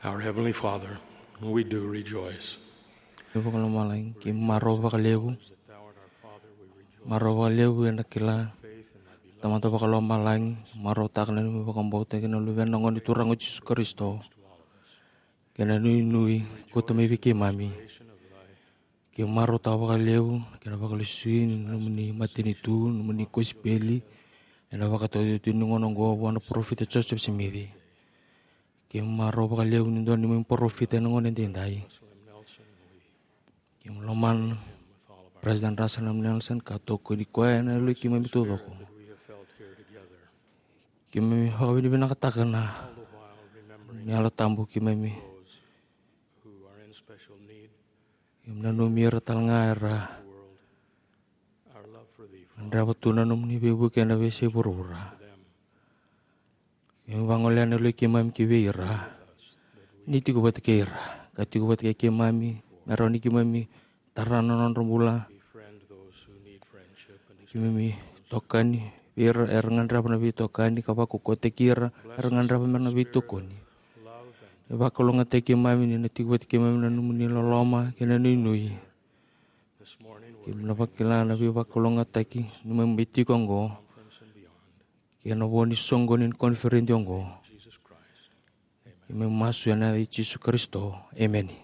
Our Heavenly Father, we do rejoice. Ni vakalomalagi, keimami marau vakalevu. Marau vakalevu ena kila, Tamada vakalomalagi, marautaka na neimami vakabauta kei na Luvena na Gone Turaga o Jisu Karisito. Kei na nuinui koto mai vei keimami. Keimami marautaka vakalevu kei na vakalesui ni nomuni matanitu, nomuni kosipeli, ena vakatautauvata ni gauna oqo vua na parofita Joseph Smith. Keimami marau vakalevu ni dua neimami parofita ena gauna edaidai. Keimami lomana President Russell M. Nelson ka tokoni koya ena yaloi keimami taucoko. Keimami vakavinavinakataka na Yalo Tabu keimami. Keimami nanumi ira tale ga era gadreva tu na nomuni veivuke ena veiyasai vuravura. Keimami vagolea na yaloi keimami ki vei ira. Ni tiko vata kei ira ka tiko vata kei keimami, me rawa ni keimami tara na nodra bula. Keimami tokani vei ira era gadreva na veitokani ka vakaukauwataki ira era gadreva me ra na veitokoni. Ni vakalougatataki keimami ni na tiko vata kei keimami na nomuni loloma kei na nuinui. Keimami na vakila na veivakalougatataki ni keimami tiko oqo kei na vo ni soqoni ni koniferedi oqo. Keimami masu ena yaca i Jisu Karisito. Emeni.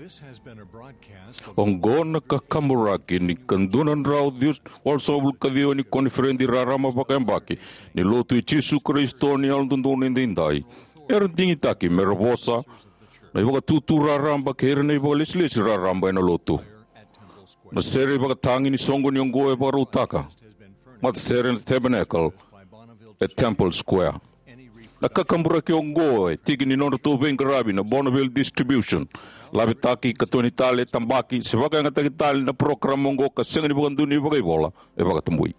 This has been a broadcast of Oqo na kakaburaki ni ka dua na drau ciwasagavulu ka ciwa ni koniferedi raraba vakayabaki ni Lotu i Jisu Karisito ni Yalododonu Edaidai. Era digitaki me ra vosa na ivakatutu raraba kei ira na ivakalesilesi raraba ena Lotu. Na sere ivakatagi ni soqoni oqo e vakarautaka matasere na Tabernacle e Temple Square. Na kakaburaki oqo e tiki ni nodratou veiqaravi na Bonneville Distribution. Lavetaki, katoni tale, tabaki se vakayagataki tale na parokaramu oqo ka sega ni vakadonui vakaivola, e vakatabui.